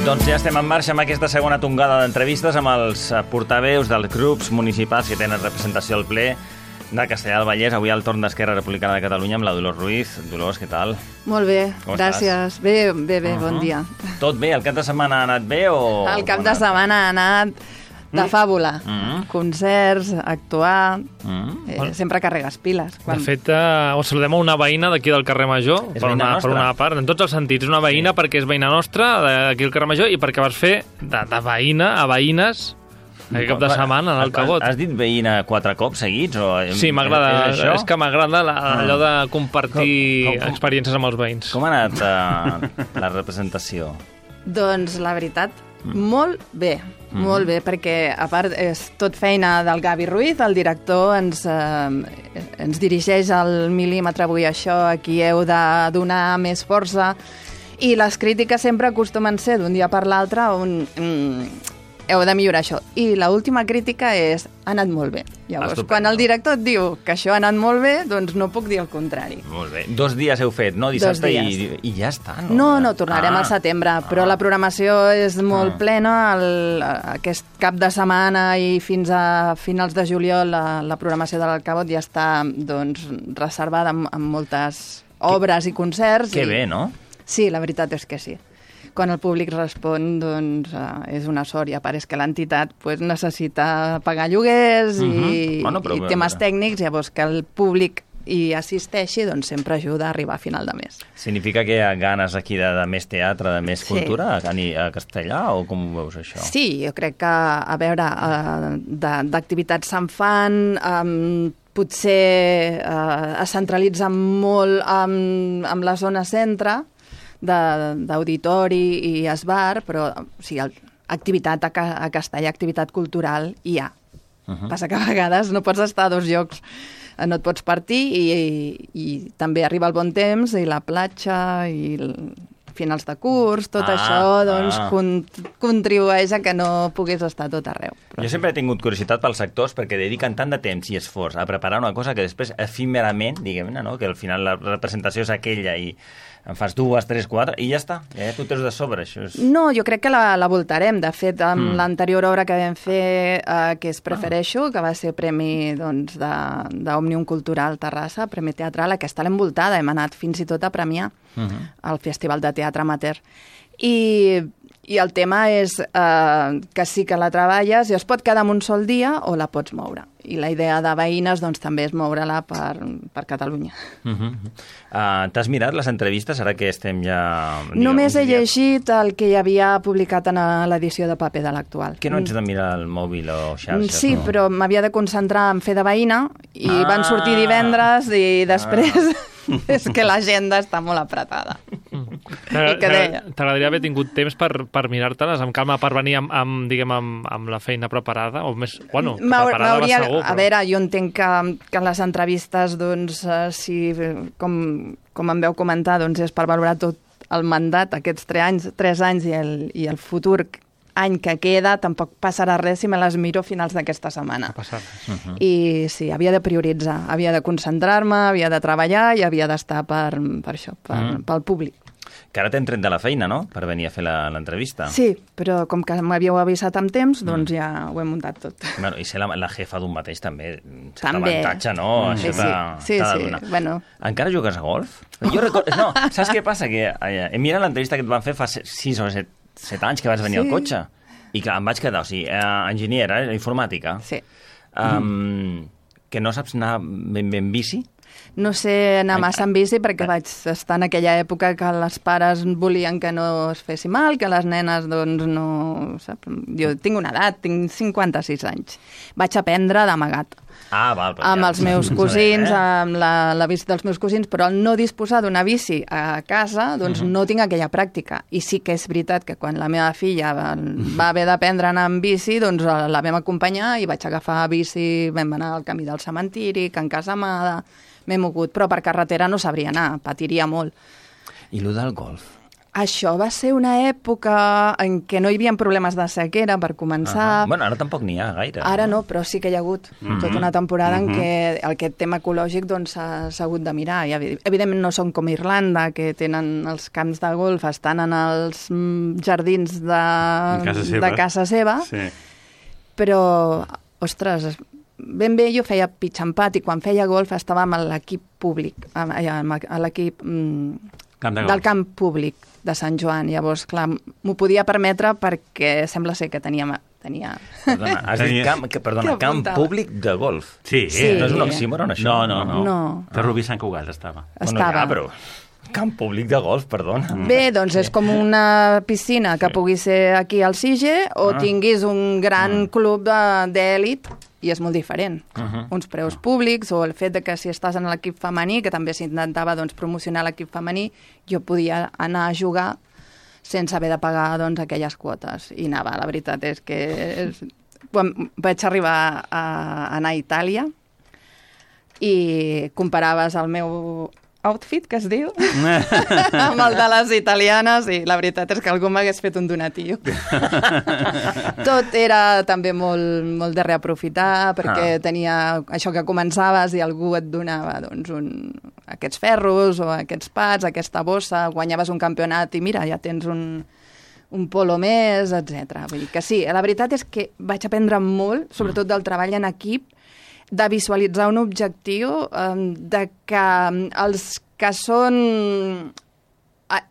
Doncs ja estem en marxa amb aquesta segona tongada d'entrevistes amb els portaveus dels grups municipals que tenen representació al ple de Castellà del Vallès. Avui al torn d'Esquerra Republicana de Catalunya amb la Dolors Ruiz. Dolors, què tal? Molt bé, Com gràcies. estàs? Bé, bé, bé, uh -huh. bon dia. Tot bé? El cap de setmana ha anat bé o... El cap de setmana ha anat de fàbula. Mm -hmm. Concerts, actuar... Mm -hmm. eh, sempre carregues piles. Quan... De fet, eh, us saludem a una veïna d'aquí del carrer Major, És per una, nostra. per una part, en tots els sentits. Una veïna sí. perquè és veïna nostra, d'aquí al carrer Major, i perquè vas fer de, de veïna a veïnes aquest cap de setmana, en el Cabot. Has dit veïna quatre cops seguits? O... Sí, m'agrada. És, és que m'agrada la, allò de compartir com, com, com, experiències amb els veïns. Com ha anat uh, la representació? Doncs la veritat, molt bé, mm. molt bé, perquè a part és tot feina del Gavi Ruiz, el director ens, eh, ens dirigeix al mil·límetre avui això, aquí heu de donar més força, i les crítiques sempre acostumen a ser d'un dia per l'altre on mm, heu de millorar això. I l'última crítica és ha anat molt bé. Llavors, Estupendo. quan el director et diu que això ha anat molt bé, doncs no puc dir el contrari. Molt bé. Dos dies heu fet, no? Dissabte i, i ja està, no? No, no, tornarem ah. al setembre, però ah. la programació és molt ah. plena. El, aquest cap de setmana i fins a finals de juliol la, la programació de l'Alcabot ja està doncs, reservada amb, amb moltes obres que, i concerts. Que i... bé, no? Sí, la veritat és que sí. Quan el públic respon, doncs, uh, és una sort. I a part és que l'entitat pues, necessita pagar lloguers uh -huh. i, bueno, però, i temes però... tècnics, llavors que el públic hi assisteixi, doncs sempre ajuda a arribar a final de mes. Significa que hi ha ganes aquí de, de més teatre, de més sí. cultura a, a Castellà, o com ho veus, això? Sí, jo crec que, a veure, uh, d'activitats se'n fan... Um, potser uh, es centralitza molt amb, amb la zona centre, d'auditori i esbar, però o sigui, el, activitat a, a Castellà, activitat cultural, hi ha. Uh -huh. Passa que a vegades no pots estar a dos llocs, no et pots partir i, i, i també arriba el bon temps i la platja i el, finals de curs, tot ah, això doncs, ah. con, contribueix a que no puguis estar tot arreu. Però jo sempre he tingut curiositat pels actors perquè dediquen tant de temps i esforç a preparar una cosa que després efímerament, diguem-ne, no? Que al final la representació és aquella i en fas dues, tres, quatre, i ja està. Ja tu teus de sobre, això és... No, jo crec que la, la voltarem. De fet, amb mm. l'anterior obra que vam fer, eh, que és Prefereixo, ah. que va ser premi doncs, d'Òmnium Cultural Terrassa, premi teatral, aquesta l'hem voltada, hem anat fins i tot a premiar uh -huh. al Festival de Teatre Amateur. I, i el tema és eh, que sí que la treballes i es pot quedar en un sol dia o la pots moure. I la idea de veïnes doncs, també és moure-la per, per Catalunya. Uh -huh. uh, T'has mirat les entrevistes, ara que estem ja... Diguem, Només he llegit el que hi havia publicat en l'edició de paper de l'Actual. Que no ets de mirar el mòbil o xarxes? Sí, no? però m'havia de concentrar en fer de veïna i ah. van sortir divendres i després... Ah. És que l'agenda està molt apretada. T'agradaria haver tingut temps per, per mirar-te-les amb calma, per venir amb, amb, diguem, amb, amb la feina preparada? O més, bueno, preparada va segur, però... A veure, jo entenc que, que les entrevistes, doncs, uh, si, com, com em veu comentar, doncs és per valorar tot el mandat, aquests tres anys, tres anys i el, i el futur any que queda, tampoc passarà res si me les miro a finals d'aquesta setmana. No passa res. Uh -huh. I sí, havia de prioritzar, havia de concentrar-me, havia de treballar i havia d'estar per, per això, per, uh -huh. pel públic. Que ara t'hem tret de la feina, no?, per venir a fer l'entrevista. Sí, però com que m'havíeu avisat amb temps, doncs mm. ja ho he muntat tot. Bueno, i ser la, la jefa d'un mateix també, cert també. avantatge, no? Mm. Això sí, t'ha sí, de sí, donar. sí. Bueno. Encara jugues a golf? Jo recordo... No, saps què passa? Que eh, he mirat l'entrevista que et van fer fa sis o set, set anys que vas venir sí. al cotxe. I clar, em vaig quedar, o sigui, eh, enginyera, eh, informàtica. Sí. Um, mm. Que no saps anar ben bé en bici? no sé anar massa en bici perquè vaig estar en aquella època que els pares volien que no es fessi mal, que les nenes, doncs, no... Sap? Jo tinc una edat, tinc cinquanta-sis anys. Vaig aprendre d'amagat. Ah, val, amb ja, els meus cosins, eh? amb la, la bici dels meus cosins, però al no disposar d'una bici a casa, doncs uh -huh. no tinc aquella pràctica. I sí que és veritat que quan la meva filla va, va haver d'aprendre a anar amb bici, doncs la vam acompanyar i vaig agafar bici, vam anar al camí del cementiri, Can Casamada, m'he mogut, però per carretera no sabria anar, patiria molt. I lo del golf? Això va ser una època en què no hi havia problemes de sequera, per començar. Uh -huh. Bueno, ara tampoc n'hi ha gaire. Ara no, però sí que hi ha hagut uh -huh. tota una temporada uh -huh. en què aquest tema ecològic doncs, s'ha doncs, hagut de mirar. I, evidentment no són com Irlanda, que tenen els camps de golf, estan en els jardins de casa seva, de casa seva sí. Però, ostres, ben bé jo feia pitch and putt i quan feia golf estàvem a l'equip públic, a l'equip camp de del camp públic de Sant Joan. Llavors, clar, m'ho podia permetre perquè sembla ser que tenia... tenia... Perdona, has dit camp, que, perdona, camp públic de golf. Sí, sí. No és un oxímoron, això? No, no, no. no. De Rubí Sant Cugat estava. Estava. Bueno, ja, però... Camp públic de golf, perdona. Bé, doncs és com una piscina que pugui ser aquí al Sige o ah. tinguis un gran ah. club d'èlit i és molt diferent. Uh -huh. Uns preus públics o el fet de que si estàs en l'equip femení, que també s'intentava doncs, promocionar l'equip femení, jo podia anar a jugar sense haver de pagar doncs, aquelles quotes. I anava, la veritat és que és... Quan vaig arribar a anar a Itàlia i comparaves el meu outfit, que es diu, amb el de les italianes, i la veritat és que algú m'hagués fet un donatiu. Tot era també molt, molt de reaprofitar, perquè ah. tenia això que començaves i algú et donava doncs, un, aquests ferros o aquests pats, aquesta bossa, guanyaves un campionat i mira, ja tens un, un polo més, etcètera. Vull dir que sí, la veritat és que vaig aprendre molt, sobretot del treball en equip, de visualitzar un objectiu, de que els que són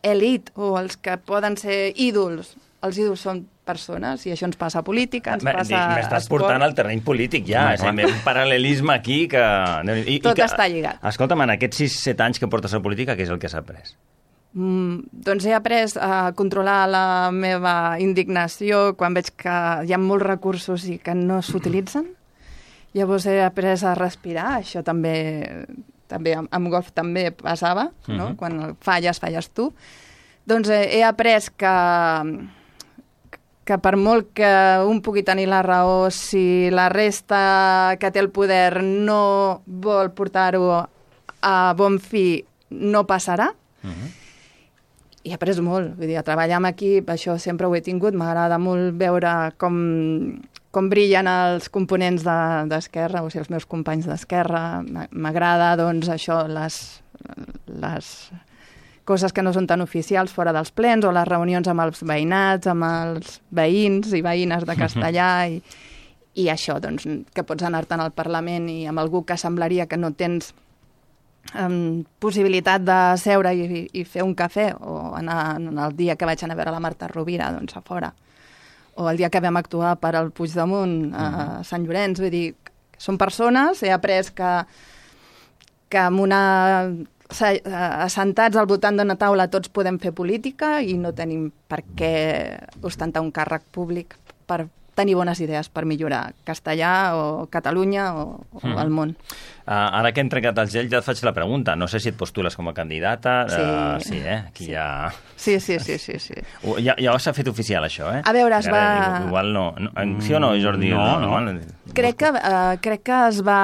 elit o els que poden ser ídols, els ídols són persones, i això ens passa a política, ens passa a M'estàs portant al terreny polític ja, és un paral·lelisme aquí que... I, Tot i que, està lligat. Escolta'm, en aquests sis set anys que portes a política, què és el que has après? Mm, doncs he après a controlar la meva indignació quan veig que hi ha molts recursos i que no s'utilitzen. Llavors he après a respirar, això també, també amb golf també passava, no? Uh-huh. Quan falles, falles tu. Doncs he, he après que, que per molt que un pugui tenir la raó, si la resta que té el poder no vol portar-ho a bon fi, no passarà. Uh-huh. I he après molt, vull dir, a treballar amb equip, això sempre ho he tingut, m'agrada molt veure com... com brillen els components d'Esquerra, de, o sigui, els meus companys d'Esquerra. M'agrada, doncs, això, les, les coses que no són tan oficials fora dels plens, o les reunions amb els veïnats, amb els veïns i veïnes de Castellà, i, i això, doncs, que pots anar-te'n al Parlament i amb algú que semblaria que no tens um, possibilitat de seure i, i fer un cafè, o anar, el dia que vaig anar a veure la Marta Rovira, doncs, a fora, o el dia que vam actuar per al Puigdemunt a Sant Llorenç, vull dir, són persones, he après que, que amb una, assentats al voltant d'una taula tots podem fer política i no tenim per què ostentar un càrrec públic per tenir bones idees per millorar Castellà o Catalunya o, o mm. el món. Uh, ara que hem trencat el gel ja et faig la pregunta. No sé si et postules com a candidata. Sí. Uh, sí, eh? Aquí sí. ja... Sí, sí, sí, sí, sí. Uh, ja, ja s'ha fet oficial, això, eh? A veure, es va... Ara, igual no. no. Sí o no, Jordi? No, no. no. Crec que, uh, crec que es va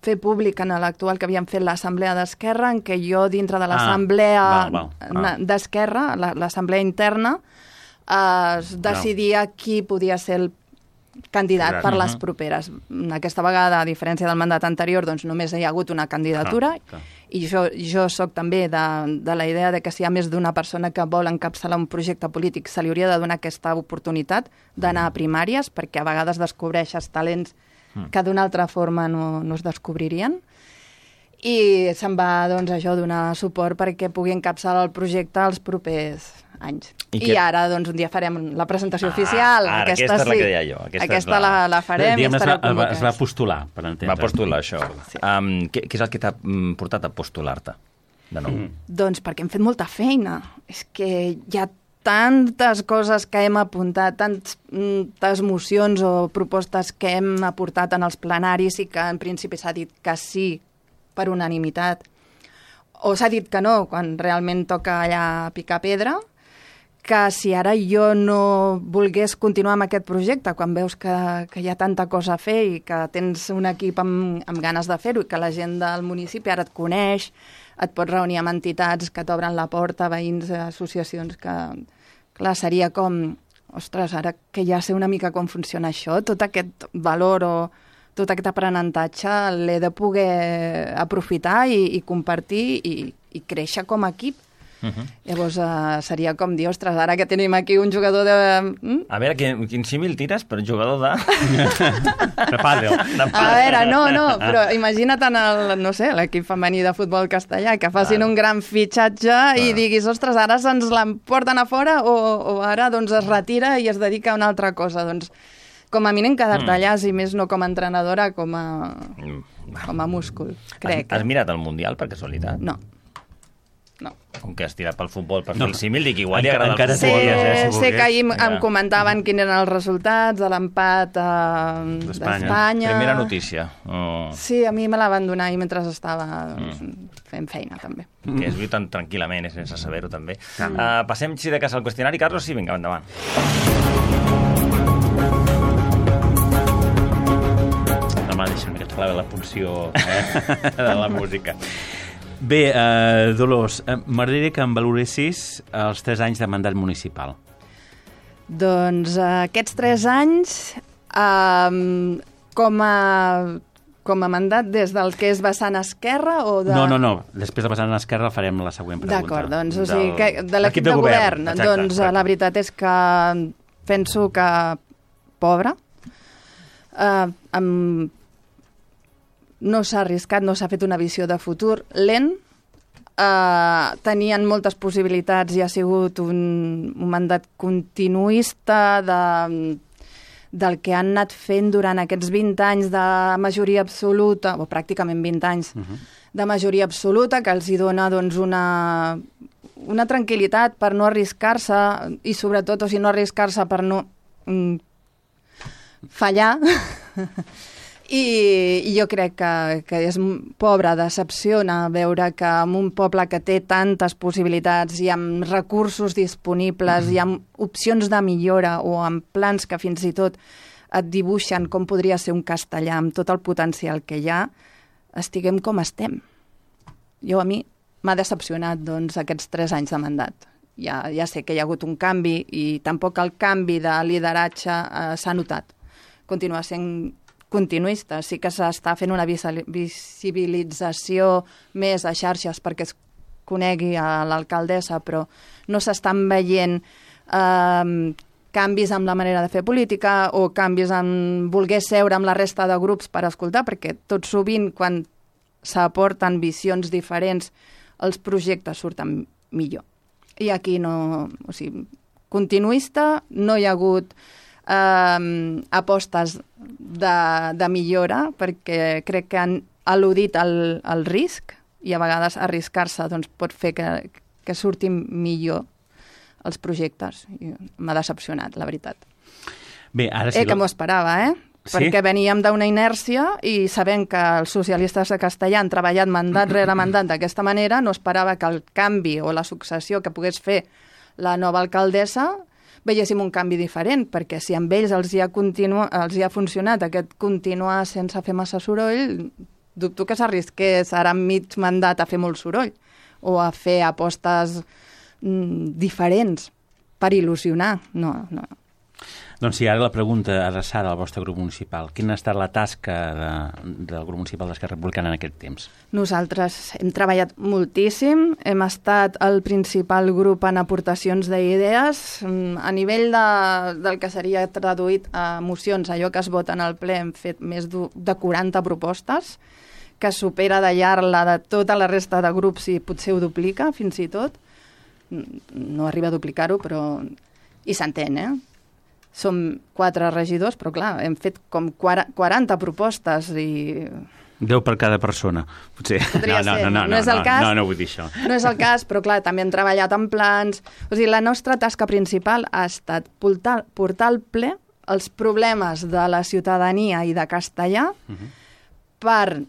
fer públic en l'actual que havíem fet l'assemblea d'Esquerra, en què jo, dintre de l'assemblea ah, ah. d'Esquerra, l'assemblea interna, uh, es decidia no. qui podia ser el candidat per les properes. Aquesta vegada, a diferència del mandat anterior, doncs només hi ha hagut una candidatura, ah, i jo, jo soc també de, de la idea de que si hi ha més d'una persona que vol encapçalar un projecte polític, se li hauria de donar aquesta oportunitat d'anar a primàries, perquè a vegades descobreixes talents que d'una altra forma no, no es descobririen. I se'n va, doncs, això, donar suport perquè pugui encapçalar el projecte als propers anys. I, I, I ara, doncs, un dia farem la presentació ah, oficial. Ara, aquesta, aquesta és la que deia jo. Aquesta, aquesta la... La, la farem Diguem, i estareu es va, convocats. es va postular, per entendre. Va postular, això. Sí. Um, què, què és el que t'ha portat a postular-te, de nou? Mm. Doncs perquè hem fet molta feina. És que hi ha tantes coses que hem apuntat, tantes mocions o propostes que hem aportat en els plenaris i que en principi s'ha dit que sí per unanimitat, o s'ha dit que no, quan realment toca allà picar pedra, que si ara jo no volgués continuar amb aquest projecte, quan veus que, que hi ha tanta cosa a fer i que tens un equip amb, amb ganes de fer-ho i que la gent del municipi ara et coneix, et pots reunir amb entitats que t'obren la porta, veïns, associacions, que clar, seria com, ostres, ara que ja sé una mica com funciona això, tot aquest valor o tot aquest aprenentatge l'he de poder aprofitar i, i compartir i, i créixer com a equip. Uh-huh. Llavors uh, seria com dir, ostres, ara que tenim aquí un jugador de... Mm? A veure, quin, quin símil tires per jugador de... de pàdel. A veure, no, no, però imagina't en el, no sé, l'equip femení de futbol castellà, que facin ah. un gran fitxatge ah. i diguis, ostres, ara se'ns l'emporten a fora o, o ara doncs es retira i es dedica a una altra cosa. Doncs com a mínim quedar-te mm. allà, si més no com a entrenadora, com a, com a múscul, crec. Has, has mirat el Mundial, per casualitat? No. No. Com que has tirat pel futbol per no. fer el símil, dic, igual li agrada el futbol. Sé, eh, si sé que ahir ja. em comentaven quins eren els resultats de l'empat eh, d'Espanya. Primera notícia. Oh. Sí, a mi me la van donar ahir mentre estava doncs, mm. fent feina, també. Que es viu tan tranquil·lament, sense saber-ho, també. Mm. Uh, passem, si de cas, al qüestionari. Carlos, sí, vinga, endavant. Demà deixa'm que et clave la punció eh, de la música. Bé, eh, Dolors, eh, m'agradaria que em valoressis els tres anys de mandat municipal. Doncs eh, aquests tres anys, eh, com, a, com a mandat des del que és vessant esquerra o de... No, no, no. Després de vessant esquerra farem la següent pregunta. D'acord, doncs, o sigui, que, de l'equip de, de govern, govern exacte, doncs exacte. La veritat és que penso que pobre, eh, amb... no s'ha arriscat, no s'ha fet una visió de futur, lent, eh, tenien moltes possibilitats i ha sigut un, un mandat continuista de, del que han anat fent durant aquests vint anys de majoria absoluta, o pràcticament vint anys, uh-huh. de majoria absoluta, que els hi dona doncs, una, una tranquil·litat per no arriscar-se i sobretot, o sigui, no arriscar-se per no mm, fallar. I, i jo crec que, que és pobre, decepciona veure que en un poble que té tantes possibilitats i amb recursos disponibles mm. i amb opcions de millora o amb plans que fins i tot et dibuixen com podria ser un castellà amb tot el potencial que hi ha, estiguem com estem. Jo a mi m'ha decepcionat doncs, aquests tres anys de mandat. Ja, ja sé que hi ha hagut un canvi i tampoc el canvi de lideratge eh, s'ha notat. Continua sent continuista. Sí que s'està fent una visibilització més a xarxes perquè es conegui a l'alcaldessa, però no s'estan veient eh, canvis en la manera de fer política o canvis en voler seure amb la resta de grups per escoltar, perquè tot sovint quan s'aporten visions diferents els projectes surten millor. I aquí no... O sigui, continuista, no hi ha hagut eh, apostes de, de millora, perquè crec que han al·ludit el, el risc i a vegades arriscar-se doncs, pot fer que, que surtin millor els projectes. I m'ha decepcionat, la veritat. Bé, ara sí... Eh, que m'ho esperava, eh? Sí? Perquè veníem d'una inèrcia i sabent que els socialistes de Castellà han treballat mandat rere mandat d'aquesta manera, no esperava que el canvi o la successió que pogués fer la nova alcaldessa veiéssim un canvi diferent, perquè si amb ells els hi ha, continu... els hi ha funcionat aquest continuar sense fer massa soroll, dubto que s'arrisqués ara mig mandat a fer molt soroll o a fer apostes mm, diferents per il·lusionar. No, no. Doncs sí, ara la pregunta adreçada al vostre grup municipal. Quina ha estat la tasca de, del grup municipal d'Esquerra Republicana en aquest temps? Nosaltres hem treballat moltíssim, hem estat el principal grup en aportacions d'idees. A nivell de, del que seria traduït a mocions, allò que es vota en el ple, hem fet més de quaranta propostes, que supera de llarg la de tota la resta de grups i potser ho duplica, fins i tot. no arriba a duplicar-ho, però... I s'entén, eh? Som quatre regidors, però clar, hem fet com quaranta propostes i... deu per cada persona, potser. Podria no, no, ser, no, no, no és el no, cas. No, no vull dir això. No és el cas, però clar, també hem treballat en plans... O sigui, la nostra tasca principal ha estat portar, portar al ple els problemes de la ciutadania i de castellà uh -huh. per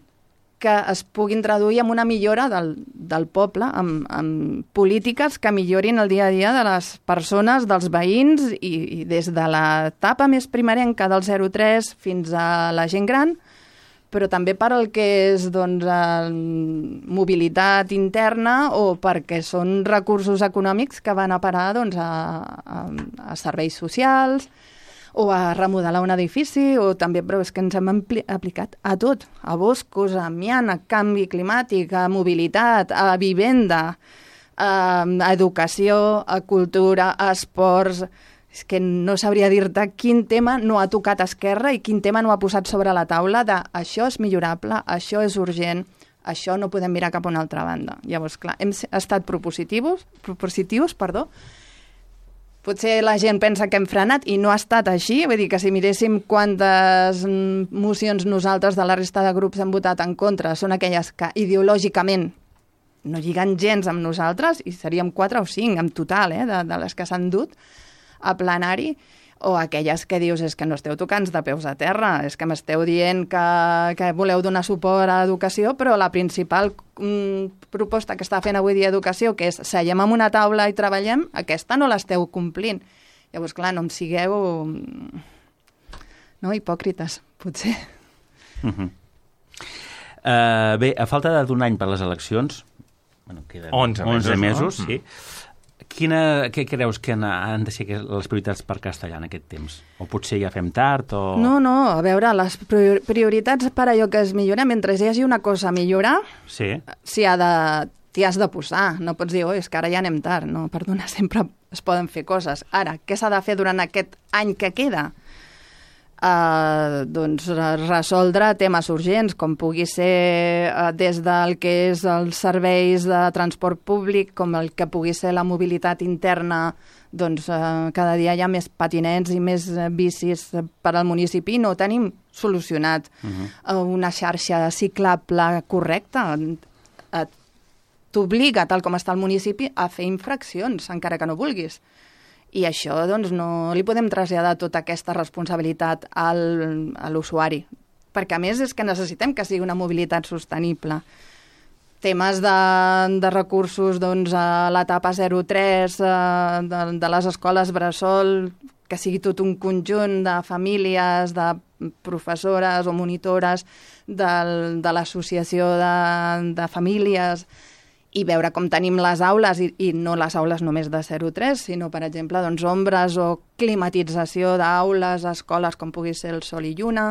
que es puguin traduir en una millora del, del poble, amb, amb polítiques que millorin el dia a dia de les persones, dels veïns, i, i des de l'etapa més primerenca del zero tres fins a la gent gran, però també per al que és doncs, mobilitat interna o perquè són recursos econòmics que van a parar doncs, a, a, a serveis socials, o a remodelar un edifici, o també, però és que ens hem ampli- aplicat a tot, a boscos, a amiant, a canvi climàtic, a mobilitat, a vivenda, a, a educació, a cultura, a esports... És que no sabria dir-te quin tema no ha tocat Esquerra i quin tema no ha posat sobre la taula de això és millorable, això és urgent, això no podem mirar cap a una altra banda. Llavors, clar, hem estat propositius, propositius, perdó, potser la gent pensa que hem frenat i no ha estat així, vull dir que si miréssim quantes mocions nosaltres de la resta de grups hem votat en contra són aquelles que ideològicament no lliguen gens amb nosaltres, i seríem quatre o cinc en total, eh, de, de les que s'han dut a plenari, o aquelles que dius és que no esteu tocant de peus a terra, és que m'esteu dient que, que voleu donar suport a l'educació, però la principal mm, proposta que està fent avui dia Educació, que és seiem en una taula i treballem, aquesta no l'esteu complint. Llavors, clar, no em sigueu no, hipòcrites, potser. Uh -huh. uh, bé, a falta d'un any per les eleccions, bueno, queden onze onze mesos, no? sí. Quina, què creus que han de ser les prioritats per Castellà en aquest temps? O potser ja fem tard? O... No, no, a veure, les prioritats per allò que es millora, mentre hi hagi una cosa a millorar, sí. s'hi ha de, t'hi has de posar. No pots dir, oh, és que ara ja anem tard. No, perdona, sempre es poden fer coses. Ara, què s'ha de fer durant aquest any que queda? Uh, doncs resoldre temes urgents, com pugui ser uh, des del que és els serveis de transport públic, com el que pugui ser la mobilitat interna, doncs uh, cada dia hi ha més patinets i més uh, bicis per al municipi, no ho tenim solucionat. Uh-huh. uh, una xarxa ciclable correcta uh, t'obliga, tal com està el municipi, a fer infraccions, encara que no vulguis. I això, doncs, no li podem traslladar tota aquesta responsabilitat al, a l'usuari. Perquè, a més, és que necessitem que sigui una mobilitat sostenible. Temes de, de recursos, doncs, a l'etapa zero tres, de, de les escoles bressol, que sigui tot un conjunt de famílies, de professores o monitores, de, de l'associació de, de famílies, i veure com tenim les aules, i, i no les aules només de zero tres, sinó, per exemple, doncs, ombres o climatització d'aules, escoles com pugui ser el Sol i Lluna,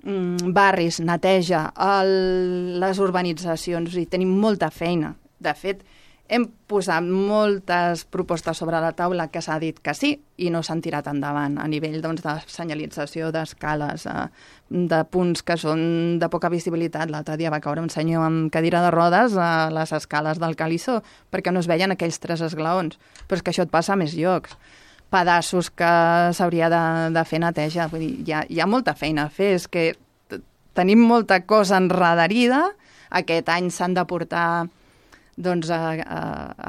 mm, barris, neteja, el, les urbanitzacions, i tenim molta feina. De fet, hem posat moltes propostes sobre la taula que s'ha dit que sí i no s'han tirat endavant a nivell, doncs, de senyalització d'escales, eh, de punts que són de poca visibilitat. L'altre dia va caure un senyor amb cadira de rodes a les escales del Calissó perquè no es veien aquells tres esglaons. Però és que això et passa a més llocs. Pedaços que s'hauria de, de fer neteja. Vull dir, hi ha, hi ha molta feina a fer. És que tenim molta cosa enredarida. Aquest any s'han de portar doncs, a, a,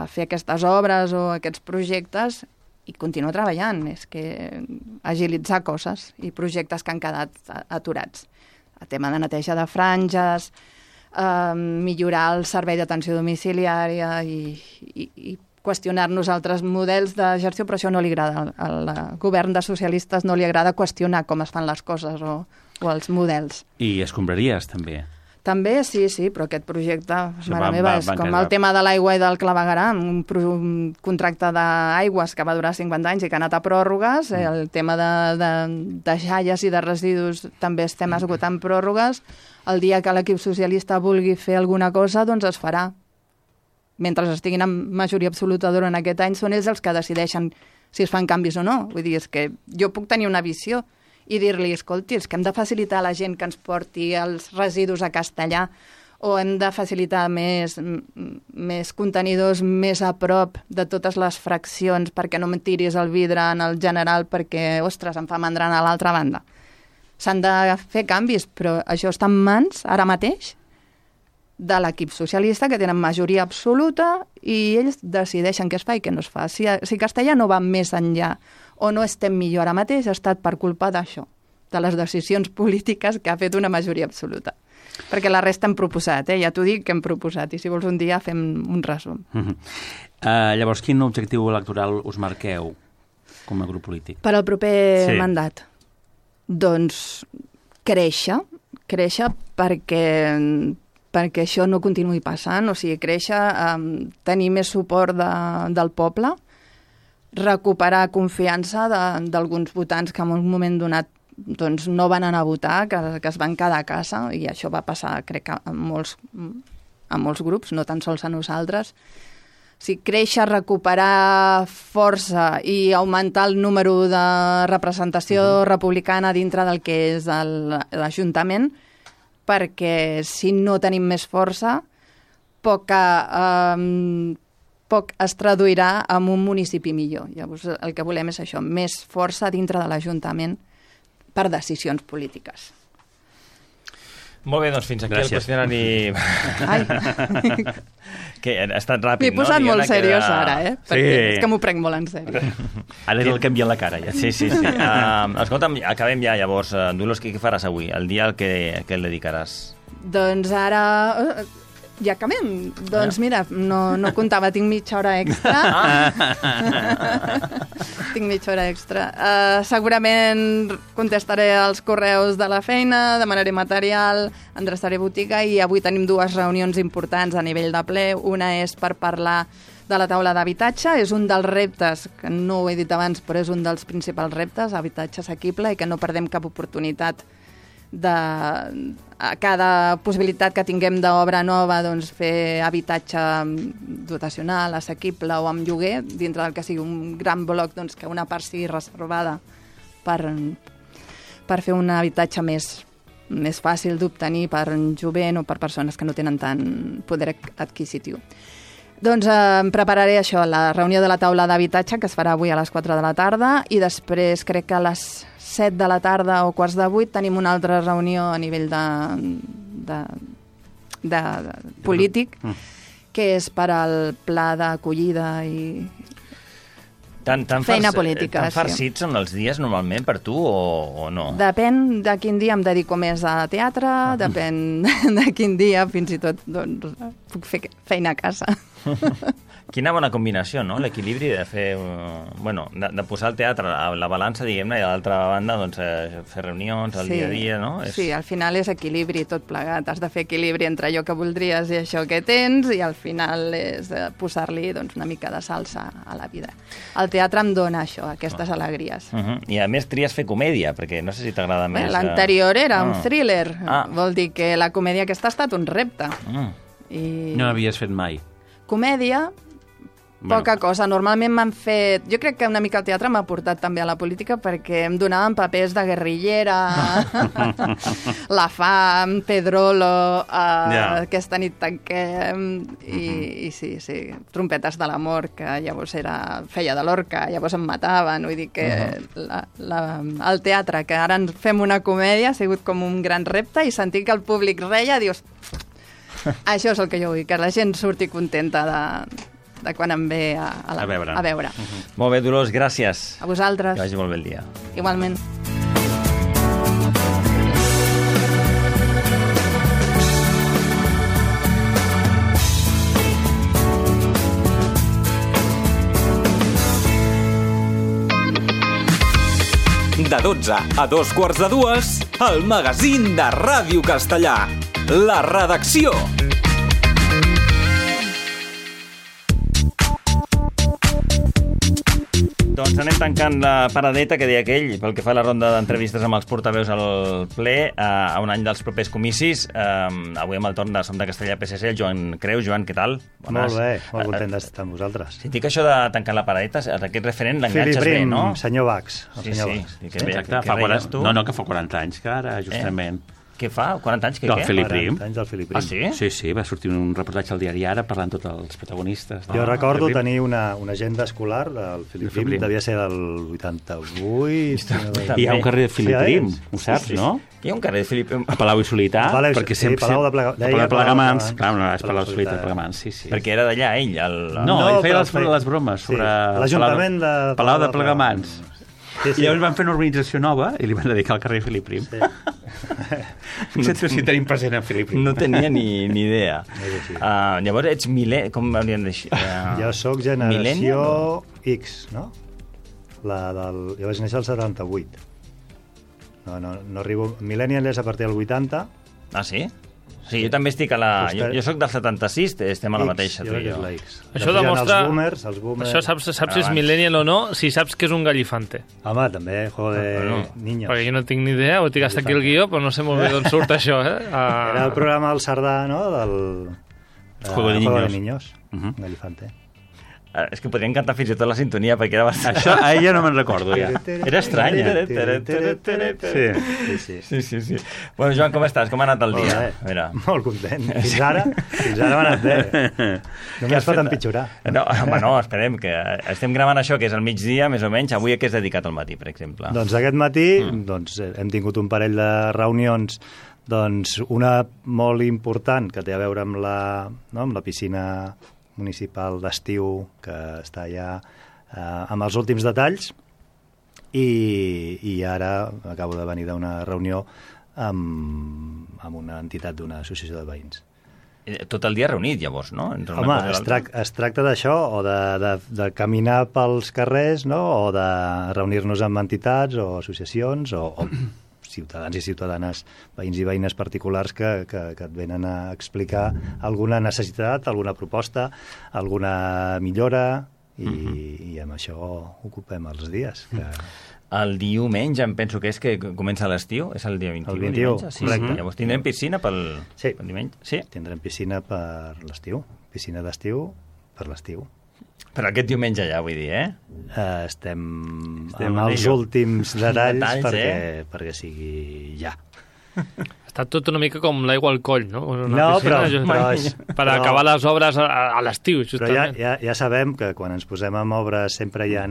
a fer aquestes obres o aquests projectes i continuar treballant. És que agilitzar coses i projectes que han quedat aturats. El tema de neteja de franges, eh, millorar el servei d'atenció domiciliària i, i, i qüestionar-nos altres models de gestió, però això no li agrada. Al, al govern de socialistes no li agrada qüestionar com es fan les coses o, o els models. I escombraries, també. També, sí, sí, però aquest projecte, Això mare va- meva, va- és van com quedar- el tema de l'aigua i del clavegueram, un, pro- un contracte d'aigües que va durar cinquanta anys i que ha anat a pròrrogues, mm. el tema de, de, de xalles i de residus també estem esgotant pròrrogues. El dia que l'equip socialista vulgui fer alguna cosa, doncs es farà. Mentre estiguin en majoria absoluta durant aquest any, són ells els que decideixen si es fan canvis o no. Vull dir, és que jo puc tenir una visió i dir-li, escolti, és que hem de facilitar a la gent que ens porti els residus a Castellà o hem de facilitar més, més contenidors més a prop de totes les fraccions perquè no em tiris el vidre en el general perquè, ostres, em fa mandra a l'altra banda. S'han de fer canvis, però això està en mans, ara mateix, de l'equip socialista, que tenen majoria absoluta, i ells decideixen què es fa i què no es fa. Si, si Castellà no va més enllà o no estem millor ara mateix, ha estat per culpa d'això, de les decisions polítiques que ha fet una majoria absoluta. Perquè la resta hem proposat, eh? Ja t'ho dic que hem proposat, i si vols un dia fem un resum. Uh -huh. uh, llavors, quin objectiu electoral us marqueu com a grup polític? Per al proper sí. mandat? Doncs créixer, créixer perquè, perquè això no continuï passant, o sigui, créixer, um, tenir més suport de, del poble, recuperar confiança d'alguns votants que en un moment donat doncs no van anar a votar, que, que es van quedar a casa, i això va passar, crec que en molts, en molts grups, no tan sols a nosaltres. O sigui, créixer, recuperar força i augmentar el número de representació uh-huh. republicana dintre del que és l'Ajuntament, perquè si no tenim més força, poca, eh, poc es traduirà en un municipi millor. Llavors, el que volem és això, més força dintre de l'Ajuntament per decisions polítiques. Molt bé, doncs fins aquí Gràcies. El qüestionari... Ai. Que ha estat ràpid, M'he no? posat Diana, molt seriós que... ara, eh? Perquè sí. És que m'ho prenc molt en sèrio. Ara és el canvi a la cara, ja. Sí, sí, sí. Uh, escolta'm, acabem ja, llavors. Uh, Dolors, què faràs avui? El dia al que, que el dedicaràs? Doncs ara... Ja acabem. Doncs mira, no, no comptava, tinc mitja hora extra. Tinc mitja hora extra. Uh, segurament contestaré els correus de la feina, demanaré material, endreçaré botiga, i avui tenim dues reunions importants a nivell de ple. Una és per parlar de la taula d'habitatge. És un dels reptes, que no ho he dit abans, però és un dels principals reptes, habitatge assequible, i que no perdem cap oportunitat de a cada possibilitat que tinguem d'obra nova, doncs fer habitatge dotacional, assequible o amb lloguer, dintre del que sigui un gran bloc, doncs que una part sigui reservada per, per fer un habitatge més, més fàcil d'obtenir per jovent o per persones que no tenen tant poder adquisitiu. Doncs eh, em prepararé això, la reunió de la taula d'habitatge, que es farà avui a les quatre de la tarda, i després crec que a les set de la tarda o quarts de vuit tenim una altra reunió a nivell de, de, de, de polític, que és per al pla d'acollida i tan, tan feina farc, política. Tan farcits sí. Són els dies normalment per tu o, o no? Depèn de quin dia em dedico més a teatre, ah. depèn de quin dia fins i tot doncs, puc fer feina a casa. Quina bona combinació, no? L'equilibri de fer... Bueno, de, de posar el teatre a la balança, diguem-ne, i a l'altra banda doncs, eh, fer reunions al sí. dia a dia, no? És... Sí, al final és equilibri tot plegat. Has de fer equilibri entre allò que voldries i això que tens, i al final és posar-li doncs, una mica de salsa a la vida. El teatre em dona això, aquestes alegries. Uh -huh. I a més tries fer comèdia, perquè no sé si t'agrada més... L'anterior era ah. un thriller. Ah. Vol dir que la comèdia aquesta ha estat un repte. Mm. I... No l'havies fet mai. Comèdia... Bueno. Poca cosa. Normalment m'han fet... Jo crec que una mica el teatre m'ha portat també a la política perquè em donaven papers de guerrillera, La Fam, Pedrolo, uh, yeah. Aquesta nit tanquem, i, mm-hmm. i sí, sí, Trompetes de l'amor, que llavors era, feia de l'orca, llavors em mataven. Vull dir que uh-huh. la, la, el teatre, que ara ens fem una comèdia, ha sigut com un gran repte, i sentir que el públic reia, dius... Això és el que jo vull, que la gent surti contenta de... de quan em ve a, a, la, a veure. A veure. Uh-huh. Molt bé, Dolors, gràcies. A vosaltres. Que vagi molt bé el dia. Igualment. De dotze a dos quarts de dues, el magazín de Ràdio Castellà. La redacció. Doncs anem tancant la paradeta que deia aquell pel que fa a la ronda d'entrevistes amb els portaveus al ple a, a un any dels propers comicis. Um, avui amb el torn de Som de Castellà P S C, el Joan Creus. Joan, què tal? Bones. Molt bé, molt content d'estar amb vosaltres. Si dic això de tancar la paradeta, aquest referent l'enganxes bé, no? senyor Bax. El sí, senyor sí. Bax. Que bé, exacte, que fa quaranta, no, no, que fa quaranta anys que ara, justament... Eh? Què fa? quaranta anys? Què, Del què? Felip Prim. quaranta anys del Felip Prim. Ah, sí? Sí, sí, va sortir un reportatge al diari Ara parlant tots els protagonistes. Jo Ah, recordo Felip. tenir una, una agenda escolar del Felip Felip Prim, Prim. devia ser del vuitanta-vuit. si no vaig- Hi ha un carrer de Felip Sí, Prim, és. ho saps, Sí, sí. no? Hi ha un carrer de Felip Prim. A Palau i Solità, Palau i- perquè sí, sempre... Palau de Plega- Palau deia de Plegamans, Palau de clar, no, és Palau Palau de de Solità, Solità. Plegamans, sí, sí. Perquè era d'allà, ell. El... No, No, ell feia però les, feia- les bromes sobre... Sí, l'Ajuntament de Palau Palau de de Plegamans. Sí, sí. I llavors van fer una urbanització nova i li van dedicar al carrer Felip Prim. Sí. No sé si tenim present en Felip Prim. No tenia ni, ni idea. És així. Uh, llavors ets mil·lenni... Com hauríem de dir? Uh, Jo sóc generació X, no? La del... Jo vaig néixer al setanta-vuit. No, no, no arribo... Millennial és a partir del vuitanta. Ah, sí? Sí, jo també estic a la... Jo, jo sóc del setanta-sis, estem a la X, mateixa, jo tu crec i que és jo. la X. Això Després hi ha demostra... Els boomers, els boomers... Això saps, saps si és Abans. millennial o no, si saps que és un gallifante. Home, també, joder, Bueno, niños. Perquè jo no tinc ni idea, ho tinc hasta aquí el guió, però no sé molt bé d'on surt això, eh? Uh... Era el programa del Cerdà, no?, del... eh, Juego de Juego de Niños. Niños. Uh -huh. Gallifante. Uh, és que podríem cantar fins i tot la sintonia, perquè era bastant... Això a ella no me'n recordo, ja. Era estranya. Sí. Sí, sí. Sí, sí, sí. Bueno, Joan, com estàs? Com ha anat el Molt dia? bé. A veure. Molt content. Fins ara, fins ara m'ha anat bé. Què Només has pot fet? empitjorar. No, home, no, esperem, que estem gravant això, que és al migdia, més o menys. Avui a què és dedicat al matí, per exemple? Doncs aquest matí mm. doncs, hem tingut un parell de reunions, doncs una molt important que té a veure amb la, no, amb la piscina municipal d'estiu, que està ja eh, amb els últims detalls, i, i ara acabo de venir d'una reunió amb, amb una entitat d'una associació de veïns. Tot el dia reunit, llavors, no? Entre una Home, cosa i es, l'altra. trac, es tracta d'això, o de, de, de caminar pels carrers, no?, o de reunir-nos amb entitats o associacions, o, o ciutadans i ciutadanes, veïns i veïnes particulars que, que, que et venen a explicar alguna necessitat, alguna proposta, alguna millora, i, uh-huh. i amb això ocupem els dies. Que... El diumenge, em penso que és que comença l'estiu, és el dia vint-i-u. El vint-i-u, diumenge? Sí, correcte. sí. Llavors tindrem piscina pel, Sí. pel diumenge? Sí. Tindrem piscina per l'estiu, piscina d'estiu per l'estiu. Però aquest diumenge ja, vull dir, eh? Uh, estem, Estem amb en els ello. últims detalls, Detalls, perquè, eh? perquè sigui ja. Està tot una mica com l'aigua al coll, no? Una No, piscina, però- just- però és- per però- acabar les obres a, a l'estiu, Però ja, justament. ja, ja sabem que quan ens posem amb obres sempre hi ha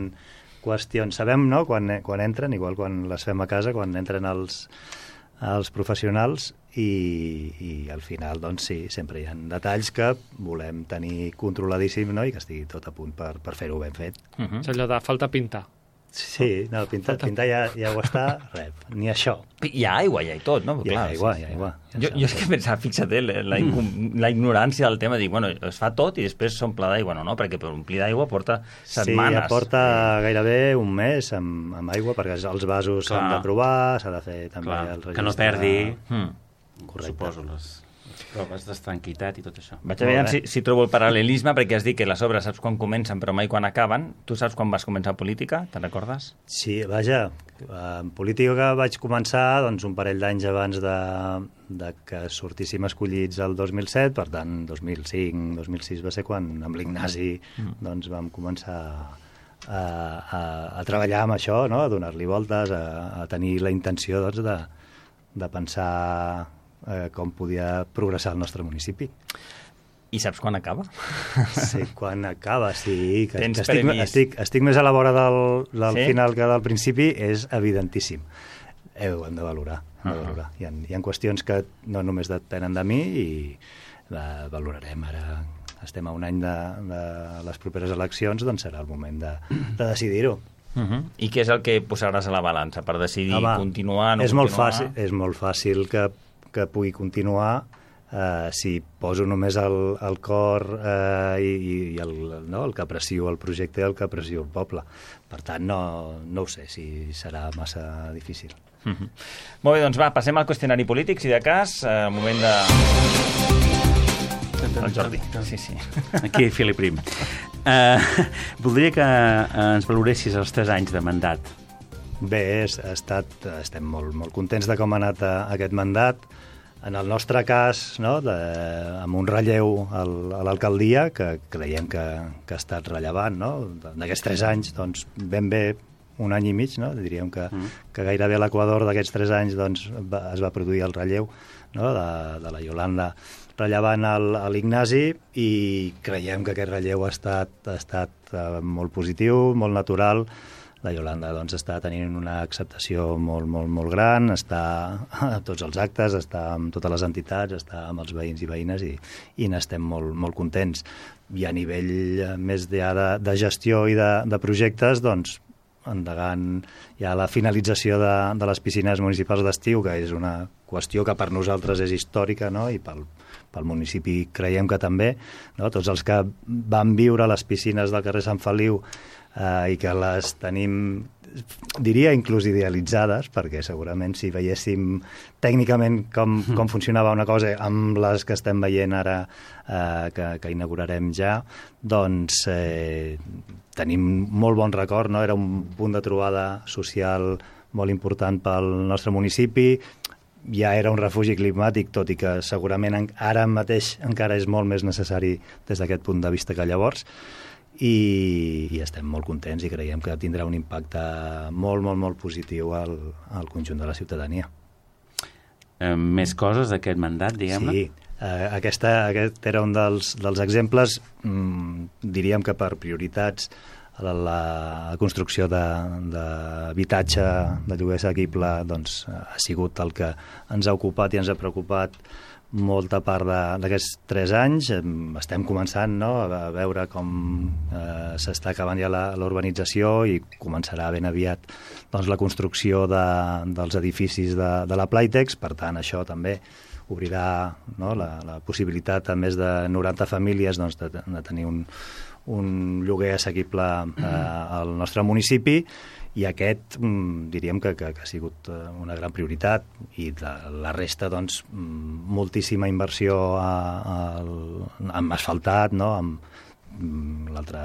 qüestions. Sabem, no?, quan, quan entren, igual quan les fem a casa, quan entren els, els professionals, i, i al final, doncs sí, sempre hi ha detalls que volem tenir controladíssim, no?, i que estigui tot a punt per, per fer-ho ben fet. Uh -huh. És allò de falta pintar. Sí, no, pintar, pintar ja, ja ho està, res, ni això. Hi ha aigua, ja i tot, no? Hi ha aigua, hi ha aigua. Ja Jo, saps. jo és que pensava, fixa't, eh, la, la, la ignorància del tema, dic, bueno, es fa tot i després s'omple d'aigua, no, no? Perquè per omplir d'aigua porta setmanes. Sí, porta gairebé un mes amb, amb aigua, perquè els vasos s'han de provar, s'ha de fer també Clar, el registre. que no perdi. Mm. Correcte. Suposo, les, les proves d'estranquitat i tot això. Vaig a veure si, si trobo el paral·lelisme, perquè has dit que les obres saps quan comencen però mai quan acaben. Tu saps quan vas començar política? Te'n recordes? Sí, vaja, en política que vaig començar doncs, un parell d'anys abans de, de que sortíssim escollits el dos mil set, per tant, dos mil cinc, dos mil sis va ser quan amb l'Ignasi mm. doncs, vam començar a, a, a treballar amb això, no?, a donar-li voltes, a, a tenir la intenció doncs, de, de pensar eh, com podia progressar el nostre municipi. I saps quan acaba? Sí, quan acaba, sí. Que, Tens que estic, previst. estic, estic més a la vora del, del Sí? final que del principi, és evidentíssim. Eh, ho hem de valorar. Hem de Uh-huh. valorar. Hi, ha, hi ha qüestions que no només depenen de mi i la valorarem ara. Estem a un any de, de les properes eleccions, doncs serà el moment de, de decidir-ho. Uh -huh. I què és el que posaràs a la balança per decidir Home, continuar, no és molt continuar? fàcil, és molt fàcil que, que pugui continuar eh, si poso només el, el cor eh, i, i el, no, el que aprecio el projecte i el que aprecio el poble. Per tant, no, no ho sé si serà massa difícil. Uh -huh. Molt bé, doncs va, passem al qüestionari polític, si de cas, eh, moment de... El Jordi, sí, sí. Aquí, Felip Prim. Uh, voldria que uh, ens valoressis els tres anys de mandat. Bé, és, ha estat, estem molt, molt contents de com ha anat a, aquest mandat. En el nostre cas, no, de, amb un relleu al, a l'alcaldia, que creiem que, que ha estat rellevant, no? D'aquests tres anys, doncs, ben bé un any i mig, no? Diríem que, mm. que gairebé a l'equador d'aquests tres anys doncs, va, es va produir el relleu, no? de, de la Iolanda rellevant a l'Ignasi, i creiem que aquest relleu ha estat, ha estat uh, molt positiu, molt natural. La Iolanda doncs, està tenint una acceptació molt, molt, molt gran, està a tots els actes, està amb totes les entitats, està amb els veïns i veïnes, i, i n'estem molt, molt contents. I a nivell més de, de gestió i de, de projectes, doncs, endegant ja la finalització de, de les piscines municipals d'estiu, que és una qüestió que per nosaltres és històrica, no? I pel, pel municipi creiem que també, no? Tots els que van viure les piscines del carrer Sant Feliu eh, i que les tenim, diria, inclús idealitzades, perquè segurament si veiéssim tècnicament com, com funcionava una cosa amb les que estem veient ara, eh, que, que inaugurarem ja, doncs eh, tenim molt bon record, no? Era un punt de trobada social molt important pel nostre municipi, ja era un refugi climàtic, tot i que segurament ara mateix encara és molt més necessari des d'aquest punt de vista que llavors, i, i estem molt contents i creiem que tindrà un impacte molt, molt, molt positiu al, al conjunt de la ciutadania. Eh, més coses d'aquest mandat, diguem-ne? Sí, eh, aquesta, aquest era un dels, dels exemples, mm, diríem que per prioritats, la, la construcció d'habitatge de, de lloguer assequible doncs, ha sigut el que ens ha ocupat i ens ha preocupat molta part d'aquests tres anys. Estem començant, no?, a veure com eh, s'està acabant ja la, la urbanització, i començarà ben aviat doncs, la construcció de, dels edificis de, de la Playtex. Per tant, això també obrirà, no?, la, la possibilitat a més de noranta famílies doncs, de, de tenir un, un lloguer assequible eh, al nostre municipi. I aquest mm, diríem que, que, que ha sigut una gran prioritat, i de, la resta, doncs, moltíssima inversió a, a, amb asfaltat, no?, amb l'altre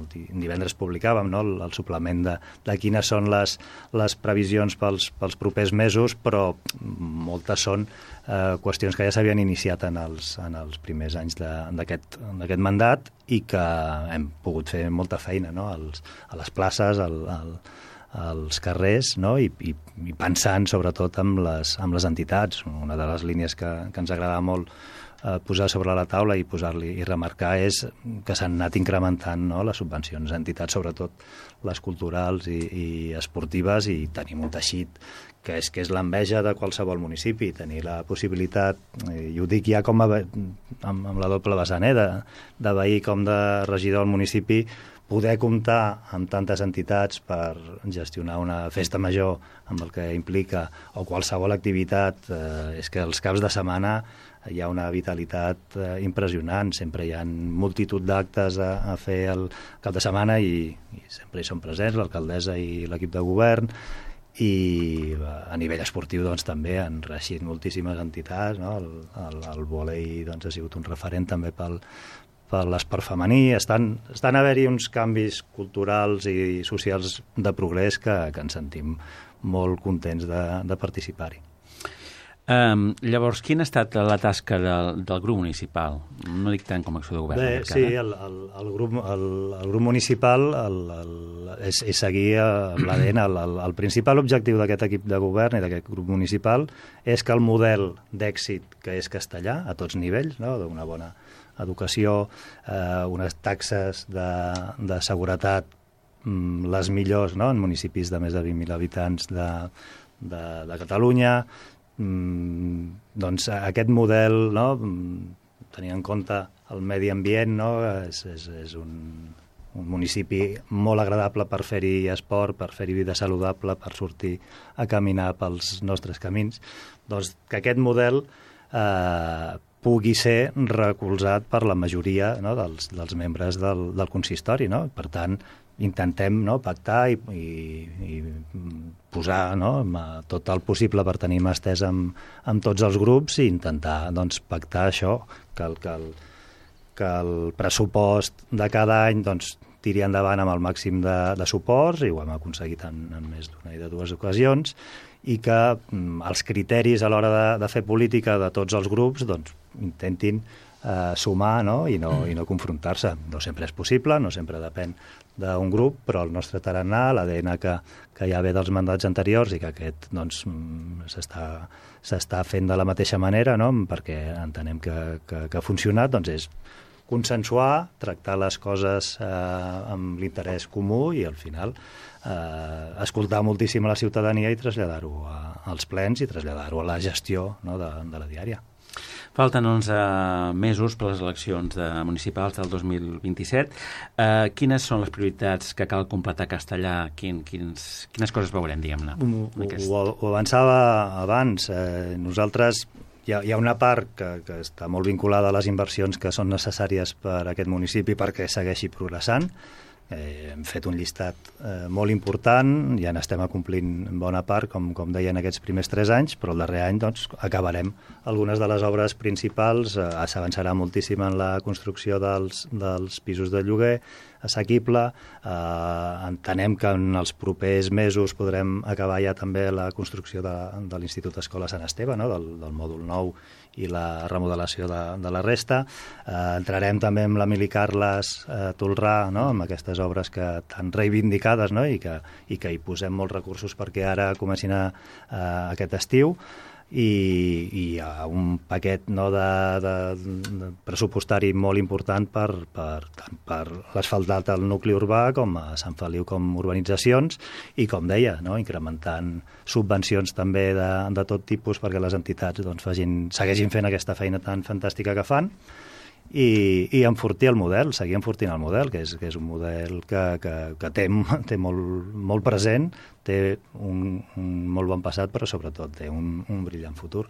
divendres publicàvem, no?, el, el suplement de, de quines són les, les previsions pels, pels propers mesos, però moltes són eh, qüestions que ja s'havien iniciat en els, en els primers anys d'aquest mandat, i que hem pogut fer molta feina, no?, als, a les places, al, al als carrers, no? I, i, i pensant sobretot amb les, amb les entitats. Una de les línies que, que ens agrada molt eh, posar sobre la taula i posar-li i remarcar és que s'han anat incrementant, no?, les subvencions a entitats, sobretot les culturals i, i esportives, i tenim un teixit que és, que és l'enveja de qualsevol municipi, tenir la possibilitat, i ho dic ja com a, amb, amb la doble vessant, eh, de, de veí com de regidor al municipi, poder comptar amb tantes entitats per gestionar una festa major amb el que implica, o qualsevol activitat, eh, és que els caps de setmana hi ha una vitalitat eh, impressionant. Sempre hi ha multitud d'actes a, a fer el cap de setmana, i, i sempre hi són presents l'alcaldessa i l'equip de govern, i a nivell esportiu doncs, també han reeixit moltíssimes entitats, no? El, el, el vòlei doncs, ha sigut un referent també pel per l'esport femení. Estan, estan a haver-hi uns canvis culturals i socials de progrés que, que ens sentim molt contents de, de participar-hi. Um, llavors, quina ha estat la tasca del, del grup municipal? No dic tant com a acció de govern. Bé, sí, el, el, el, grup, el, el grup municipal el, el, és, és seguir amb l'A D N. El, el, el principal objectiu d'aquest equip de govern i d'aquest grup municipal és que el model d'èxit, que és castellà a tots nivells, no?, d'una bona educació, eh, unes taxes de, de seguretat mm, les millors, no?, en municipis de més de vint mil habitants de, de, de Catalunya. Mm, doncs aquest model, no?, tenint en compte el medi ambient, no?, és, és, és un, un municipi molt agradable per fer-hi esport, per fer-hi vida saludable, per sortir a caminar pels nostres camins. Doncs que aquest model eh, pugui ser recolzat per la majoria, no?, dels, dels membres del, del consistori, no? Per tant, intentem, no?, pactar i, i, i posar, no?, tot el possible per tenir mà estesa amb, amb tots els grups, i intentar doncs, pactar això, que el, que, el, que el pressupost de cada any doncs, tiri endavant amb el màxim de, de suports, i ho hem aconseguit en, en més d'una i de dues ocasions, i que mm, els criteris a l'hora de, de fer política de tots els grups doncs, intentin eh, sumar, no? I, no, i no confrontar-se. No sempre és possible, no sempre depèn d'un grup, però el nostre tarannà, l'A D N que, que ja ve dels mandats anteriors i que aquest doncs, s'està s'està fent de la mateixa manera, no? Perquè entenem que, que, que ha funcionat, doncs és consensuar, tractar les coses eh, amb l'interès comú i al final eh, escoltar moltíssim a la ciutadania i traslladar-ho als plens i traslladar-ho a la gestió, no? de, de la diària. Falten onze mesos per les eleccions de municipals del dos mil vint-i-set. Uh, quines són les prioritats que cal completar a Castellà? Quin, quins, quines coses veurem, diguem-ne? Ho, ho, ho avançava abans. Eh, nosaltres hi ha, hi ha una part que, que està molt vinculada a les inversions que són necessàries per a aquest municipi perquè segueixi progressant. Eh, hem fet un llistat eh, molt important, ja n'estem acomplint bona part, com, com deien aquests primers tres anys, però el darrer any doncs, acabarem algunes de les obres principals, eh, s'avançarà moltíssim en la construcció dels, dels pisos de lloguer assequible, eh, entenem que en els propers mesos podrem acabar ja també la construcció de, de l'Institut Escola Sant Esteve, no? del, del mòdul nou i la remodelació de, de la resta. Eh, entrarem també amb l'Emili Carles eh, Tolrà, no? amb aquestes obres que tan reivindicades, no? I, que, i que hi posem molts recursos perquè ara comencin a, a aquest estiu. I, i hi ha un paquet, no, de, de, de pressupostari molt important per, per, tant per l'asfaltat al nucli urbà com a Sant Feliu com urbanitzacions i, com deia, no, incrementant subvencions també de, de tot tipus perquè les entitats doncs, facin, segueixin fent aquesta feina tan fantàstica que fan. I, i enfortir el model, seguir enfortint el model, que és, que és un model que, que, que té, té molt, molt present, té un, un molt bon passat, però sobretot té un, un brillant futur.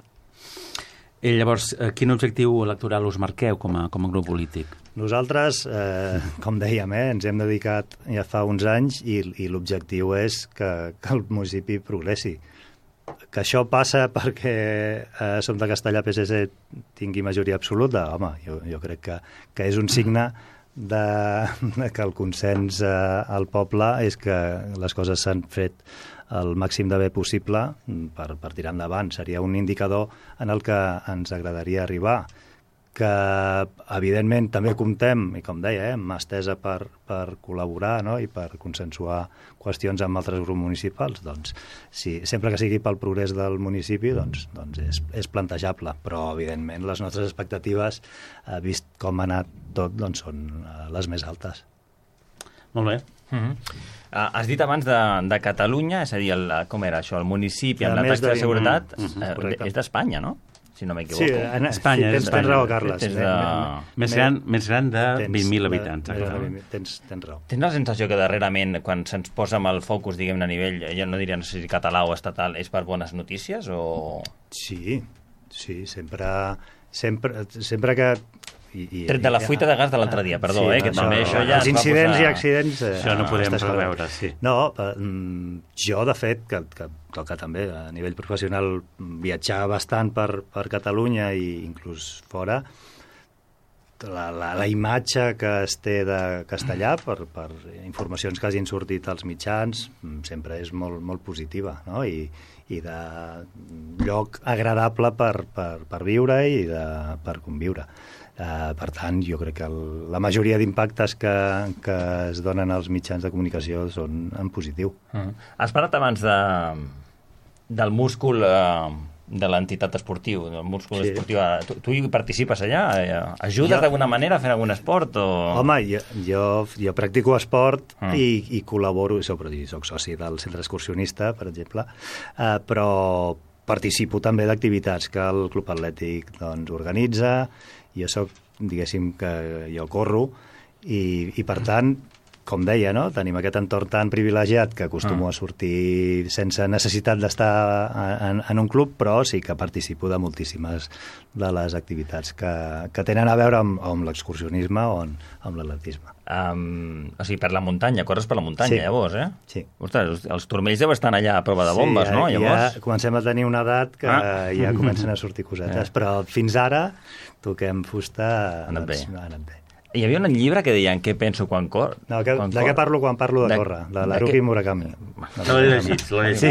I llavors, quin objectiu electoral us marqueu com a, com a grup polític? Nosaltres, eh, com dèiem, eh, ens hem dedicat ja fa uns anys i, i l'objectiu és que, que el municipi progressi. Que això passa perquè eh, som de Castellà, P S C tingui majoria absoluta, home, jo, jo crec que, que és un signe de, de que el consens eh, al poble és que les coses s'han fet el màxim de bé possible per, per tirar endavant. Seria un indicador en el que ens agradaria arribar, que evidentment també comptem, i com deia, eh, amb mà estesa per, per col·laborar, no? I per consensuar qüestions amb altres grups municipals. Doncs, sí, sempre que sigui pel progrés del municipi, doncs, doncs és, és plantejable, però evidentment les nostres expectatives, eh, vist com ha anat tot, doncs són eh, les més altes. Molt bé. Mm-hmm. Uh, has dit abans de, de Catalunya, és a dir, el, com era això, el municipi amb la taxa de, de seguretat, mm-hmm. uh, és d'Espanya, no? Si no m'equivoco. Sí, en Espanya. Sí, tens, tens raó, Carles. Tens de... Més gran, més gran de vint mil habitants. De, de, tens, tens raó. Tens la sensació que darrerament, quan se'ns posa amb el focus, diguem-ne, a nivell, ja no diria no sé si català o estatal, és per bones notícies o...? Sí, sí, sempre, sempre, sempre que... I, i, Tret de la fuita de gas de l'altre dia, perdó, sí, eh, que això, també això ja... Els incidents posar... i accidents... Eh, això no podem preveure, sí. No, eh, jo, de fet, que, que toca també a nivell professional viatjar bastant per, per Catalunya i inclús fora, la, la, la imatge que es té de Castellà per, per informacions que hagin sortit als mitjans sempre és molt, molt positiva, no? I, i de lloc agradable per, per, per viure i de, per conviure. Uh, per tant, jo crec que el, la majoria d'impactes que, que es donen als mitjans de comunicació són en positiu. Uh-huh. Has parlat abans de, del múscul uh, de l'entitat esportiu, del múscul sí. esportiu. Tu, tu hi participes allà? Ajudes jo... d'alguna manera a fer algun esport? O... Home, jo, jo, jo practico esport uh-huh. i, i col·laboro, i soc soci del centre excursionista, per exemple, uh, però participo també d'activitats que el Club Atlètic doncs, organitza. Jo soc, diguéssim, que jo corro i, i per tant, com deia, no? Tenim aquest entorn tan privilegiat que acostumo ah. a sortir sense necessitat d'estar en, en un club, però sí que participo de moltíssimes de les activitats que, que tenen a veure amb, amb l'excursionisme o amb, amb l'atletisme. Um, o sigui, per la muntanya, corres per la muntanya, sí. llavors, eh? Sí. Ostres, els turmells deuen estar allà a prova de bombes, sí, ja, no? Llavors... Ja comencem a tenir una edat que ah. ja comencen a sortir cosetes, eh. però fins ara toquem fusta... Ha anat bé. Ha anat bé. Hi havia un llibre que deia en què penso quan cor... No, que, quan de cor... què parlo quan parlo de, de córrer? De l'Haruki que... Murakami. No l'he llegit, l'he llegit. Sí.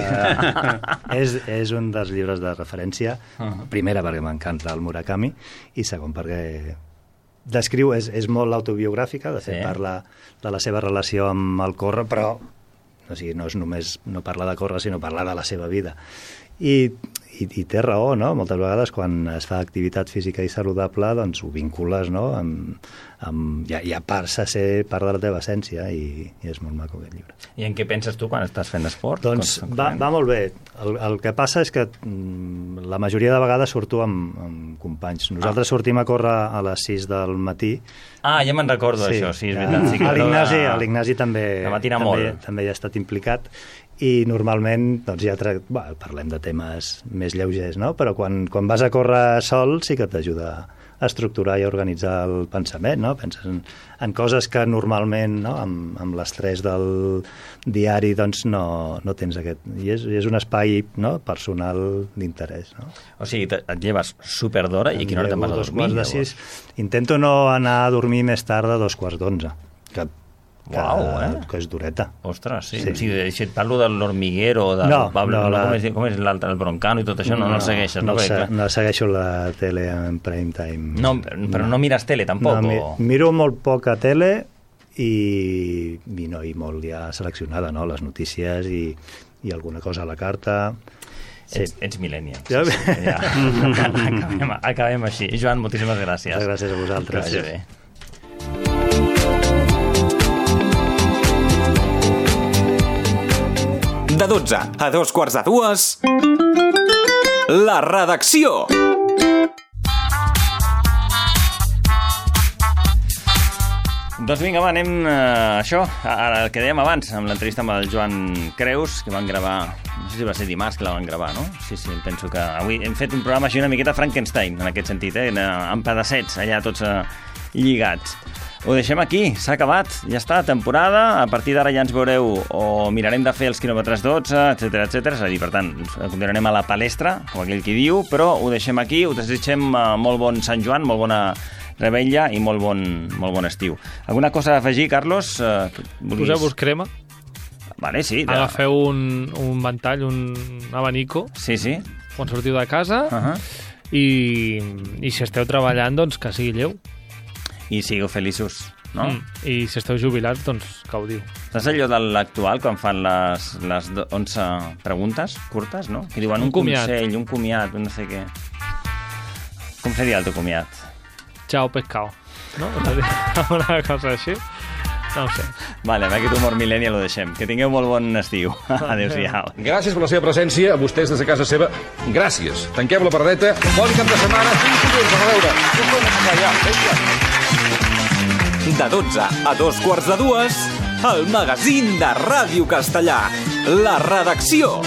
és, és un dels llibres de referència. Uh-huh. Primera, perquè m'encanta el Murakami, i segon, perquè descriu, és, és molt autobiogràfica, de fet Sí. parla de la seva relació amb el córrer, però o sigui, no és només no parla de córrer, sinó parla de la seva vida. I, i, i té raó, no? Moltes vegades quan es fa activitat física i saludable, doncs ho vincules, no? Amb, amb, ja, ja passa a ser part de la teva essència i, i és molt maco aquest llibre. I en què penses tu quan estàs fent esport? Doncs Com- va, va molt bé. El, el que passa és que mm, la majoria de vegades surto amb, amb companys. Nosaltres ah. sortim a córrer a les sis del matí. Ah, ja me'n recordo d'això, sí, és veritat. Sí, que a l'Ignasi, de- a l'Ignasi també, que matina també, molt. també hi ha estat implicat i normalment doncs, ja tra... bueno, parlem de temes més lleugers, no? Però quan, quan vas a córrer sol sí que t'ajuda a estructurar i a organitzar el pensament, no? Penses en, en coses que normalment, no? amb, amb l'estrès del diari doncs no, no tens aquest... I és, és un espai, no? Personal d'interès, no? O sigui, te- et lleves super d'hora i a quina hora te'n vas a Dos dormir? quarts de sis. Intento no anar a dormir més tard de dos quarts d'onze, que, que, Uau, eh? que és dureta. Ostres, sí. Sí. sí. O sigui, si et parlo de l'Hormiguero, de No, Pablo, no, la- com és, com és l'altre, el Broncano i tot això, no, no, no el segueixes, no? No, Perquè, se, clar, no segueixo la tele en prime time. no, però no mires tele, tampoc? No, mi, o... miro molt poca tele i, i, no, i molt ja seleccionada, no? Les notícies i, i alguna cosa a la carta. Sí. Ets, ets millennial. Ja. Sí, sí, ja. acabem, acabem així. Joan, moltíssimes gràcies. Moltes gràcies a vosaltres. Que vagi bé. De dotze a dos quarts de dues, la redacció. Doncs vinga, va, anem a uh, això, ara el que dèiem abans, amb l'entrevista amb el Joan Creus, que van gravar, no sé si va ser dimarts que la van gravar, no? Sí, sí, penso que avui hem fet un programa així una miqueta Frankenstein, en aquest sentit, eh? Amb pedacets, allà tots uh, lligats. Ho deixem aquí, s'ha acabat, ja està, temporada, a partir d'ara ja ens veureu o mirarem de fer els quilòmetres dotze, etcètera, etcètera, és a dir, per tant, continuarem a la palestra, com aquell qui diu, però ho deixem aquí, us desitgem uh, molt bon Sant Joan, molt bona Rebella i molt bon, molt bon estiu. Alguna cosa a afegir, Carlos? Uh, volies... Poseu-vos crema. Vale, sí. De... Agafeu un, un ventall, un abanico. Sí, sí. Quan sortiu de casa. Uh -huh. I, I si esteu treballant, doncs que sigui lleu. I sigueu feliços, no? Mm. I si esteu jubilats, doncs gaudiu. Saps allò de l'actual, quan fan les, les onze preguntes curtes, no? Que diuen un, Un comiat. consell, un comiat, un no sé què. Com seria el teu comiat? Chao, pescado. ¿No? Una cosa així. No ho sé. Vale, amb aquest humor millennial ho deixem. Que tingueu molt bon estiu. Adéu-siau. Gràcies per la seva presència, a vostès des de casa seva. Gràcies. Tanquem la paradeta. Bon cap de setmana. Fins dilluns. A veure. De dotze a dos quarts de dues, el magazín de Ràdio Castellà. La redacció.